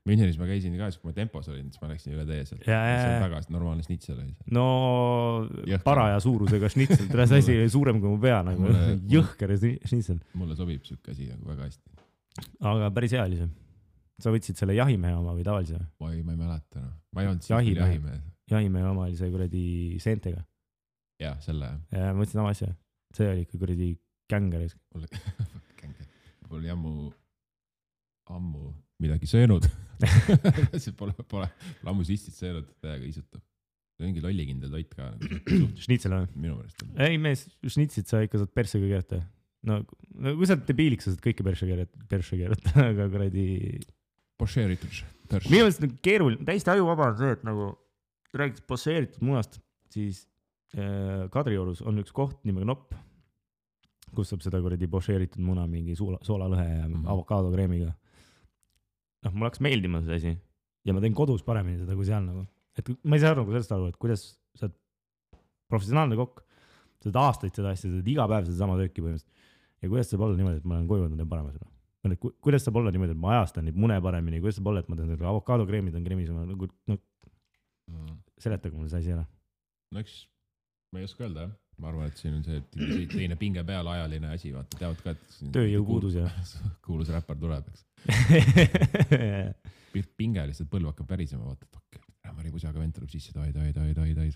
S1: Münchenis ma käisin ka, kui ma tempos olin, siis ma läksin üle tee seal. See on väga normaalne šnitsel oli.
S2: No paraja suurusega šnitsel. Tere, see asi oli suurem kui mu pea. Nagu jõhker šnitsel.
S1: Mulle sobib siuke asi nagu väga hästi.
S2: Aga päris hea oli see. Sa võtsid selle jahimehe oma või tavalise?
S1: Ma ei mäleta. Ma ei olnud siis jahimehe.
S2: Jahimehe oma oli see kuradi seentega.
S1: Jah, selle.
S2: Ja ma võtsin oma asja. See oli ikka kuradi känger.
S1: Mul oli ammu midagi söönud. Pole ammu sistit söönud, täiega isutab. See on mingi lollikindel toit ka.
S2: Šnitsel või?
S1: Minu mõelest.
S2: Ei mees, šnitsit sa ikka saad persega keerata. No kui sa oled debiiliks, sa saad kõike perse keerata, aga kuradi...
S1: Pošeeritud.
S2: Minu mõelest keeruline, täiesti ajuvaba on see, et nagu räägiks pošeeritud munast, siis Kadriorus on üks koht nimega Nopp, kus saab seda kuradi pošeeritud muna mingi soolalõhe ja avokaadokreemiga. No, mul hakkas meeldima see asi ja ma teen kodus paremini seda kui seal nagu. Et ma ei saa aru sellest aru, et kuidas sa oled professionaalne kokk, sa oled aastaid seda asja, sa oled iga päev seda sama tööki põhimõtteliselt. Ja kuidas saab olla niimoodi, et ma olen koju võtnud parema seda? Kuidas saab olla niimoodi, et ma ajastan neid mune paremini, kuidas saab olla, et ma teen seda avokadokreemid on kreemis, seletaga mulle see asi ära.
S1: No eks, ma ei oska öelda, jah. Ma arvan, et siin on see teine pinge peal ajaline asi, vaata, teavad ka, et
S2: tööjõupuudus ja
S1: kuulus räppar tuleb, eks. Pinge lihtsalt põlv hakkab pärisema, vaata, et Mari Pusaga vend tuleb sisse, tai,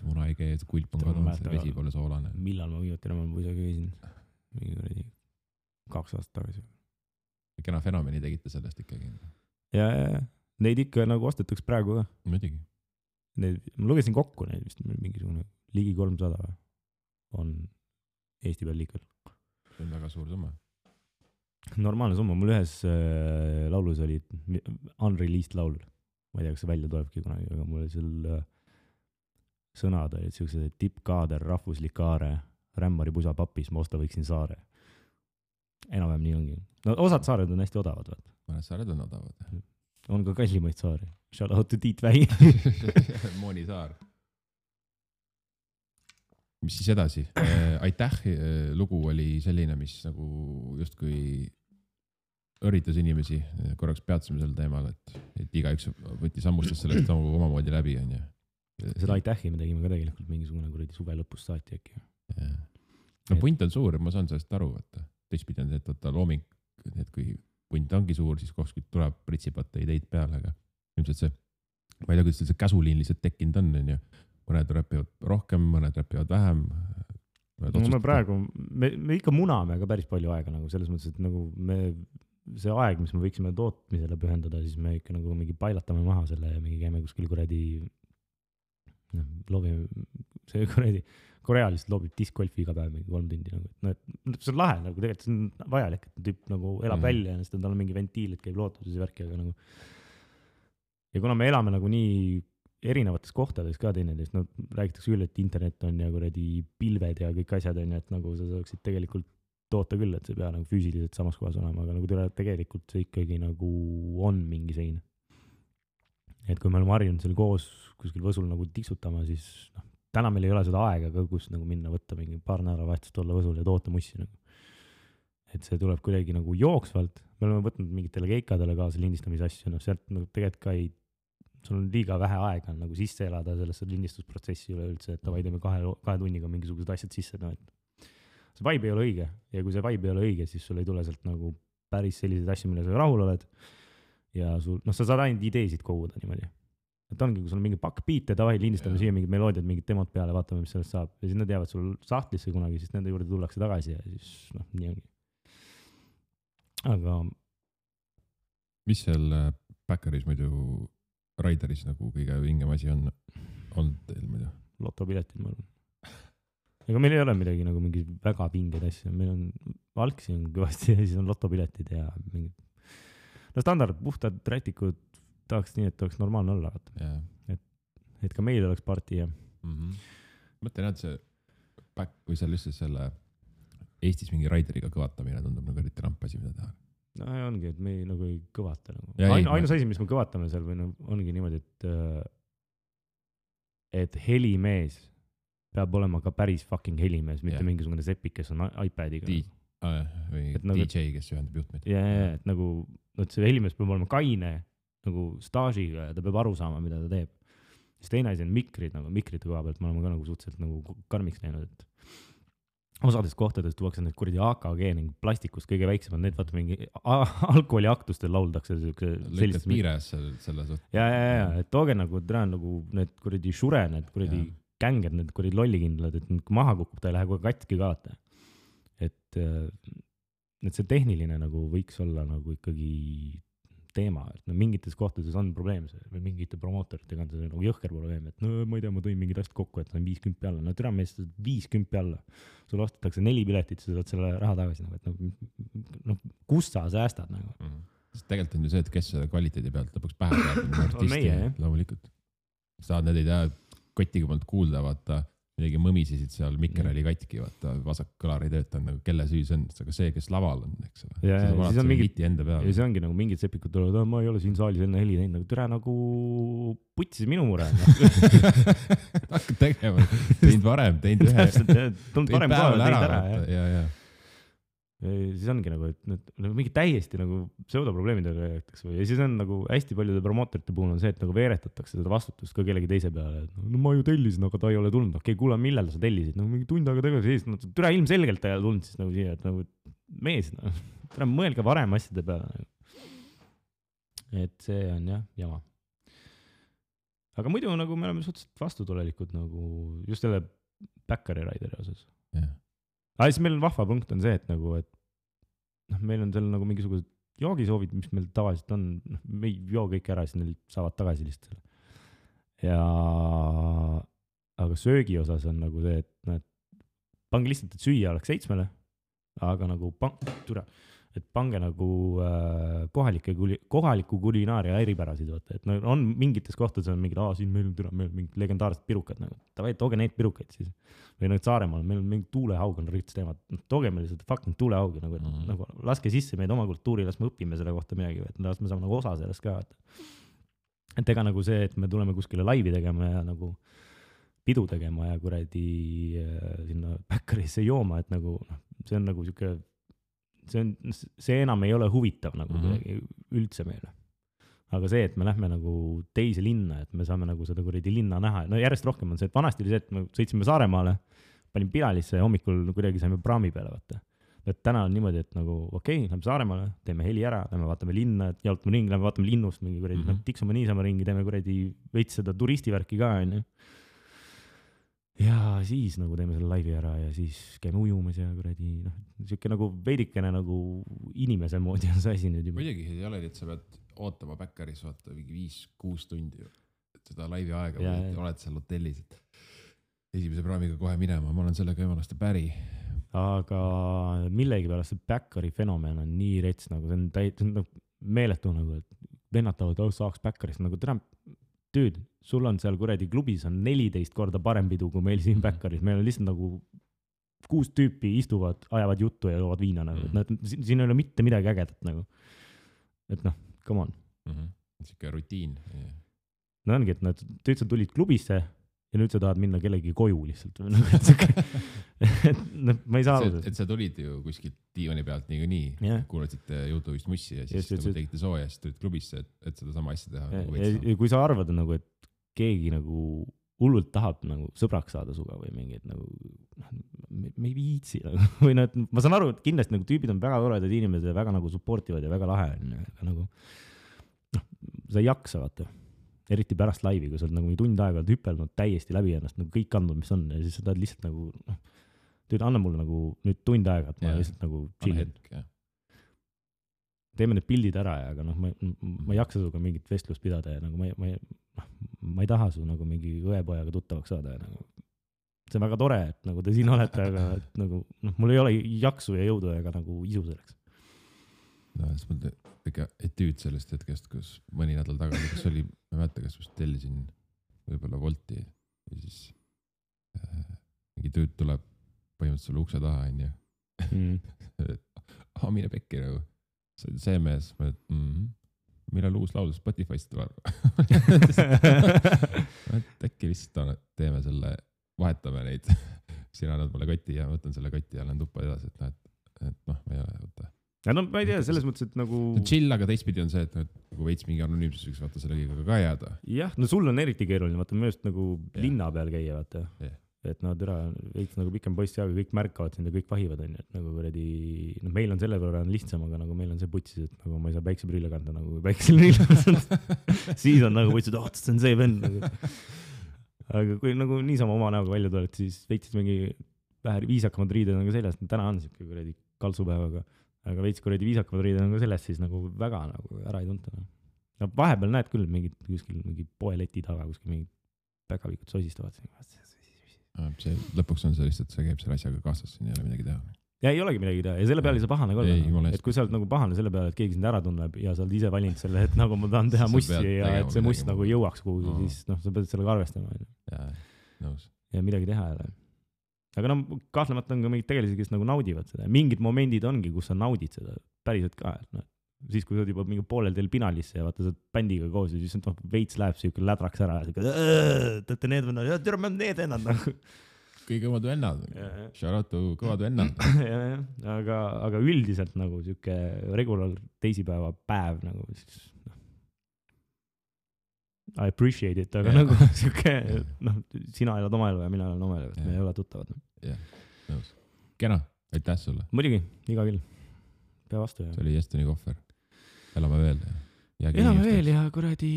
S1: muna ei kee, kulp on kadunud, vesi pole soolane.
S2: Millal ma viimati Mari Pusaga käisin? Mingi 2 aastat tagasi.
S1: Kena fenomeni tegite sellest ikkagi.
S2: Ja neid ikka nagu ostetaks praegu ka.
S1: Muidugi.
S2: Ma lugesin kokku neid vist mingisugune ligi 300 on Eesti peal liikvel.
S1: See on väga suur summa.
S2: Normaalne summa. Mul ühes laulus oli unreleased laul. Ma ei tea, kas see välja tulebki kunagi, aga mul oli seal sõnad olid sellised tippkaader, rahvuslikaare, rämmari pusa papis, ma osta võiksin saare. Enam-vähem nii ongi. No osad saared on hästi odavad.
S1: Mõned saared on odavad.
S2: On ka kallimaid saari. Shout out to Tiit Vähi.
S1: Mooni saar. Mis siis edasi? Aitäh lugu oli selline, mis nagu justkui õritas inimesi. Korraks peatsime sel teemal, et iga üks võtti sammustas sellest omamoodi läbi.
S2: Seda aitähi me tegime ka tegelikult mingisugune kuradi suve lõpus saati äkki.
S1: No punt on suur, ma saan sellest aru. Teistpidi on see, et looming, et kui punt ongi suur, siis kuskilt tuleb pritsipata ideid peale, aga ilmselt see, ma ei tea, kuidas see käsuliin lihtsalt tekkinud on, mõned räpivad rohkem, mõned räpivad vähem.
S2: Me praegu, me ikka muname ka päris palju aega nagu selles mõttes, et nagu see aeg, mis me võiksime tootmisele pühendada, siis me ikka nagu mingi pailatame maha selle ja mingi käime kuskil kuradi loobime, see kuradi Korea lihtsalt loobib discgolfi iga päev mingi 3 tundi nagu, et see on lahe nagu, tegelikult see on vajalik, et tüüp nagu elab välja ja tal on mingi ventiil, et käib lootuses ja värki, aga nagu ja kuna me elame nagu nii erinevates kohtades ka teineteist, no räägitakse küll, et internet on ja kuradi pilved ja kõik asjad on ja et nagu sa saaksid tegelikult toota küll, et see ei pea nagu füüsiliselt samas kohas olema, aga nagu tegelikult see ikkagi nagu on mingi sein. Et kui me oleme harjunud seal koos kuskil Võsul nagu tiksutama, siis täna meil ei ole seda aega ka, kus nagu minna võtta mingi paar nädalavahetust olla Võsul ja toota mussi nagu. Et see tuleb kuidagi nagu jooksvalt, me oleme võtnud mingitele keikadele kaasa lindistamise asju, sealt nagu tegelikult ka ei, sul on liiga vähe aega nagu sisse elada sellesse lindistusprotsessi üle üldse, et tavai teeme 2 tunniga mingisugused asjad sisse, et see vibe ei ole õige ja kui see vibe ei ole õige, siis sul ei tule sealt nagu päris selliseid asju, mille sa rahul oled ja sul, sa saad ainult ideesid koguda niimoodi. Et ongi, kui sul on mingi pakk biite, tavai lindistame siia mingid meloodiad, mingid demod peale, vaatame, mis sellest saab ja siis need jäävad sul sahtlisse kunagi, siis nende juurde tullakse tagasi ja siis nii ongi. Aga
S1: mis seal Backeris muidu Raideris nagu kõige vingem asi on olnud teil muidu?
S2: Lotopiletid, ma arvan. Ega meil ei ole midagi nagu mingi väga vingeid asju, meil on valksi on kõvasti ja siis on lotopiletid ja mingid standard, puhtad rätikud, tahaks nii, et oleks normaalne olla. Et ka meil oleks parti ja
S1: Mõtlen, et see back, kui seal lihtsalt selle Eestis mingi Raideriga kõvatamine tundub nagu eriti rampasi, mida teha.
S2: No ongi, et me nagu ei kõvata nagu. Ainus asi, mis me kõvatame seal või ongi niimoodi, et helimees peab olema ka päris fucking helimees, mitte mingisugune sepik, kes on iPadiga.
S1: Või DJ, kes ühendab juhtmeid.
S2: Et nagu, see helimees peab olema kaine nagu staažiga ja ta peab aru saama, mida ta teeb. Siis teine asi on mikrid, nagu mikrite koha pealt me oleme ka nagu suhteliselt nagu karmiks näinud, et osades kohtades tuuakse need kuradi AKG ning plastikust kõige väiksemad, need vaata mingi alkoholiaktustel lauldakse
S1: lõikad piires selle suht.
S2: Ja, et tooge nagu need kuradi Shure, need kuradi känged, need kuradi lollikindlad, et kui maha kukub, ta ei lähe kohe katki kaata. Et see tehniline nagu võiks olla nagu ikkagi teema, et mingites kohtades on probleem või mingite promootoritega on see nagu jõhker probleem, et ma ei tea, ma tõin mingid asjad kokku, et on 50 alla. No türa meest 50 alla. Sul ostetakse 4 piletit, sa saad selle raha tagasi. Kus sa säästad nagu?
S1: Tegelikult on ju see, et kes selle kvaliteedi pealt lõpuks pähe saab. Artisti, loomulikult. Saad need ei tea, kotiga polnud kuulda, vaata, midagi mõmisesid seal, mikker oli katki, vaata, vasak kõlar ei tööta, nagu kelle süü see on, aga see, kes laval on, eks ole.
S2: Ja siis on mingid, ja see ongi nagu mingid sepikud tulevad, ma ei ole siin saalis enne heli teinud, nagu türa nagu putsis minu mure.
S1: Hakkad tegema, teinud varem, teinud ühe.
S2: Tulnud varem kohale, teinud ära.
S1: Ja.
S2: Siis ongi nagu, et mingi täiesti nagu pseudoprobleemidele räägitakse ja siis on nagu hästi paljude promootorite puhul on see, et nagu veeretatakse seda vastutust ka kellegi teise peale, et no ma ju tellisin, aga ta ei ole tulnud, okei, kuule, millal sa tellisid, no mingi tund aega tegevuse eest, no türa ilmselgelt ta ei ole tulnud siis nagu siia, et nagu mees, türa mõelge varem asjade peale nagu. Et see on jah, jama. Aga muidu nagu me oleme suhteliselt vastutulelikud nagu just selle Backeri Raideri osas. Aga siis meil on vahva punkt on see, et nagu, et meil on seal nagu mingisugused joogisoovid, mis meil tavaliselt on, me ei joo kõik ära, siis neil saavad tagasi lihtsalt. Ja aga söögi osas on nagu see, et pange lihtsalt, et süüa oleks 7, aga nagu pange nagu kohaliku kulinaaria eripärased, vaata, et on mingites kohtades on mingid, siin meil on mingid legendaarsed pirukad, nagu, tavai, tooge neid pirukaid siis. Või nüüd Saaremaal, meil on mingi tuulehaug on rits teemad, tooge meil lihtsalt fucking tuulehaugi, nagu laske sisse meid oma kultuuri, las me õpime selle kohta midagi, et las me saame nagu osa sellest ka. Et ega nagu see, et me tuleme kuskile laivi tegema ja nagu pidu tegema ja kuradi sinna Backerisse jooma, et nagu see on nagu siuke see enam ei ole huvitav nagu üldse meile. Aga see, et me lähme nagu teise linna, et me saame nagu seda kuradi linna näha. No järjest rohkem on see, et vanasti oli see, et me sõitsime Saaremaale, panin Pilalisse ja hommikul kuidagi saime praami peale vaata. Et täna on niimoodi, et nagu okei, lähme Saaremaale, teeme heli ära, lähme vaatame linna, jalutame ringi, lähme vaatame linnust mingi kuradi, tiksume niisama ringi, teeme kuradi veits seda turistivärki ka, on ju. ja siis nagu teeme selle laivi ära ja siis käime ujumas ja kuradi, noh, siuke nagu veidikene nagu inimese moodi on see asi nüüd juba.
S1: muidugi ei ole, et sa pead ootama Backeris vaata mingi 5-6 tundi seda laivi aega või oled seal hotellis, et esimese praamiga kohe minema, ma olen sellega jumalast päri.
S2: Aga millegipärast see Backeri fenomen on nii rets, nagu see on nagu meeletu nagu, et lennatavad, saaks Backerist nagu täna, tüüd, sul on seal kuradi klubis on 14 korda parem pidu kui meil siin Backeris, meil on lihtsalt nagu 6 tüüpi istuvad, ajavad juttu ja joovad viina nagu, et siin ei ole mitte midagi ägedat nagu, et noh, come on.
S1: Siuke rutiin.
S2: No ongi, et nad tüüd tulid klubisse ja nüüd sa tahad minna kellegi koju lihtsalt. Ma ei saa aru.
S1: Et sa tulid ju kuskilt diivani pealt nii, kuulasid YouTube'ist mussi ja siis nagu tegite sooja ja siis tulid klubisse, et seda sama asja teha.
S2: Ja kui sa arvad nagu, et keegi nagu hullult tahab nagu sõbraks saada suga või mingi, et nagu me ei viitsi nagu. Või ma saan aru, et kindlasti nagu tüübid on väga toredad inimesed ja väga nagu supportivad ja väga lahe on. Aga nagu sa ei jaksa vaata. Eriti pärast laivi, kui sa oled nagu tund aega hüppelnud täiesti läbi ennast, nagu kõik andnud, mis on, ja siis sa tahad lihtsalt nagu, tüüd, anna mulle nagu nüüd tund aega, et ma lihtsalt nagu chillin. Teeme need pildid ära ja, aga noh, ma ei jaksa suga mingit vestlust pidada ja nagu ma ei taha su nagu mingi õepojaga tuttavaks saada ja nagu see on väga tore, et nagu te siin olete, aga et nagu, mul ei ole jaksu ja jõudu ega nagu isu selleks.
S1: No, siis mul ikka etüüd sellest hetkest, kus mõni nädal tagasi, kus oli, ma ei mäleta, kas just tellisin võib-olla Wolti ja siis mingi tüüd tuleb põhimõtteliselt sulle ukse taha, on ju. Mine pekki nagu. See mees, millal uus laul Spotify'st tuleb. Äkki lihtsalt teeme selle, vahetame neid. Sina annad mulle kotti ja võtan selle kotti ja lähen tuppa edasi, et noh, ma ei ole võtta.
S2: Ja no ma ei tea, selles mõttes, et nagu...
S1: Chill, aga teistpidi on see, et nagu veits mingi anonüümsus võiks vaata selle kõigega ka jääda.
S2: Jah, no sul on eriti keeruline, vaata mööst nagu linna peal käia, vaata. Et no tere, veits nagu pikem poiss ja kõik märkavad sind ja kõik vahivad, on, et nagu kuradi... No meil on selle võrra lihtsam, aga nagu meil on see putsis, et nagu ma ei saa päikseprille kanda, nagu päiksel siis on nagu putsis, et see on see vend. Nagu. Aga kui nagu niisama oma näoga välja tuled, siis veits mingi vähe viisakamad riided on ka seljas. Täna on siuke kuradi kalsupäevaga. Aga veits kuradi viisakamad riided on ka sellest, siis nagu väga nagu ära ei tunta. No vahepeal näed küll mingid kuskil mingi poeleti taga, kuskil mingid päkavikud sosistavad.
S1: See lõpuks on see lihtsalt, see käib selle asjaga kaasas, siin ei ole midagi teha.
S2: Ja ei olegi midagi teha ja selle peale ei saa pahane ka olla. Et kui sa oled nagu pahane selle peale, et keegi sind ära tunneb ja sa oled ise valinud selle, et nagu ma tahan teha mussi ja et see must nagu jõuaks kuhugi, siis noh, sa pead sellega arvestama.
S1: Ja, nõus.
S2: Ja midagi teha ei ole. Aga no kahtlemata on ka mingid tegelisi, kes nagu naudivad seda. Mingid momendid ongi, kus sa naudid seda päriselt ka. No, siis kui sa oled juba mingi poolel teel pinalisse ja vaata sa bändiga koos ja siis veits läheb siuke lädraks ära ja tõtte need vennad, ja tere, me on need vennad nagu.
S1: Kõige kõvad vennad. Shout out to kõvad vennad.
S2: Aga üldiselt nagu siuke regular teisipäeva päev nagu siis, I appreciate it, aga nagu siuke, noh, sina elad oma elu ja mina elan oma elu, et me ei ole tuttavad.
S1: Jah, nõus. Kena, aitäh sulle.
S2: Muidugi, iga küll. Pea vastu.
S1: See oli Estoni kohver. Elame veel.
S2: Elame veel ja kuradi,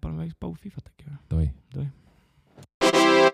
S2: paneme väikest Pau Fifat äkki.
S1: Toi.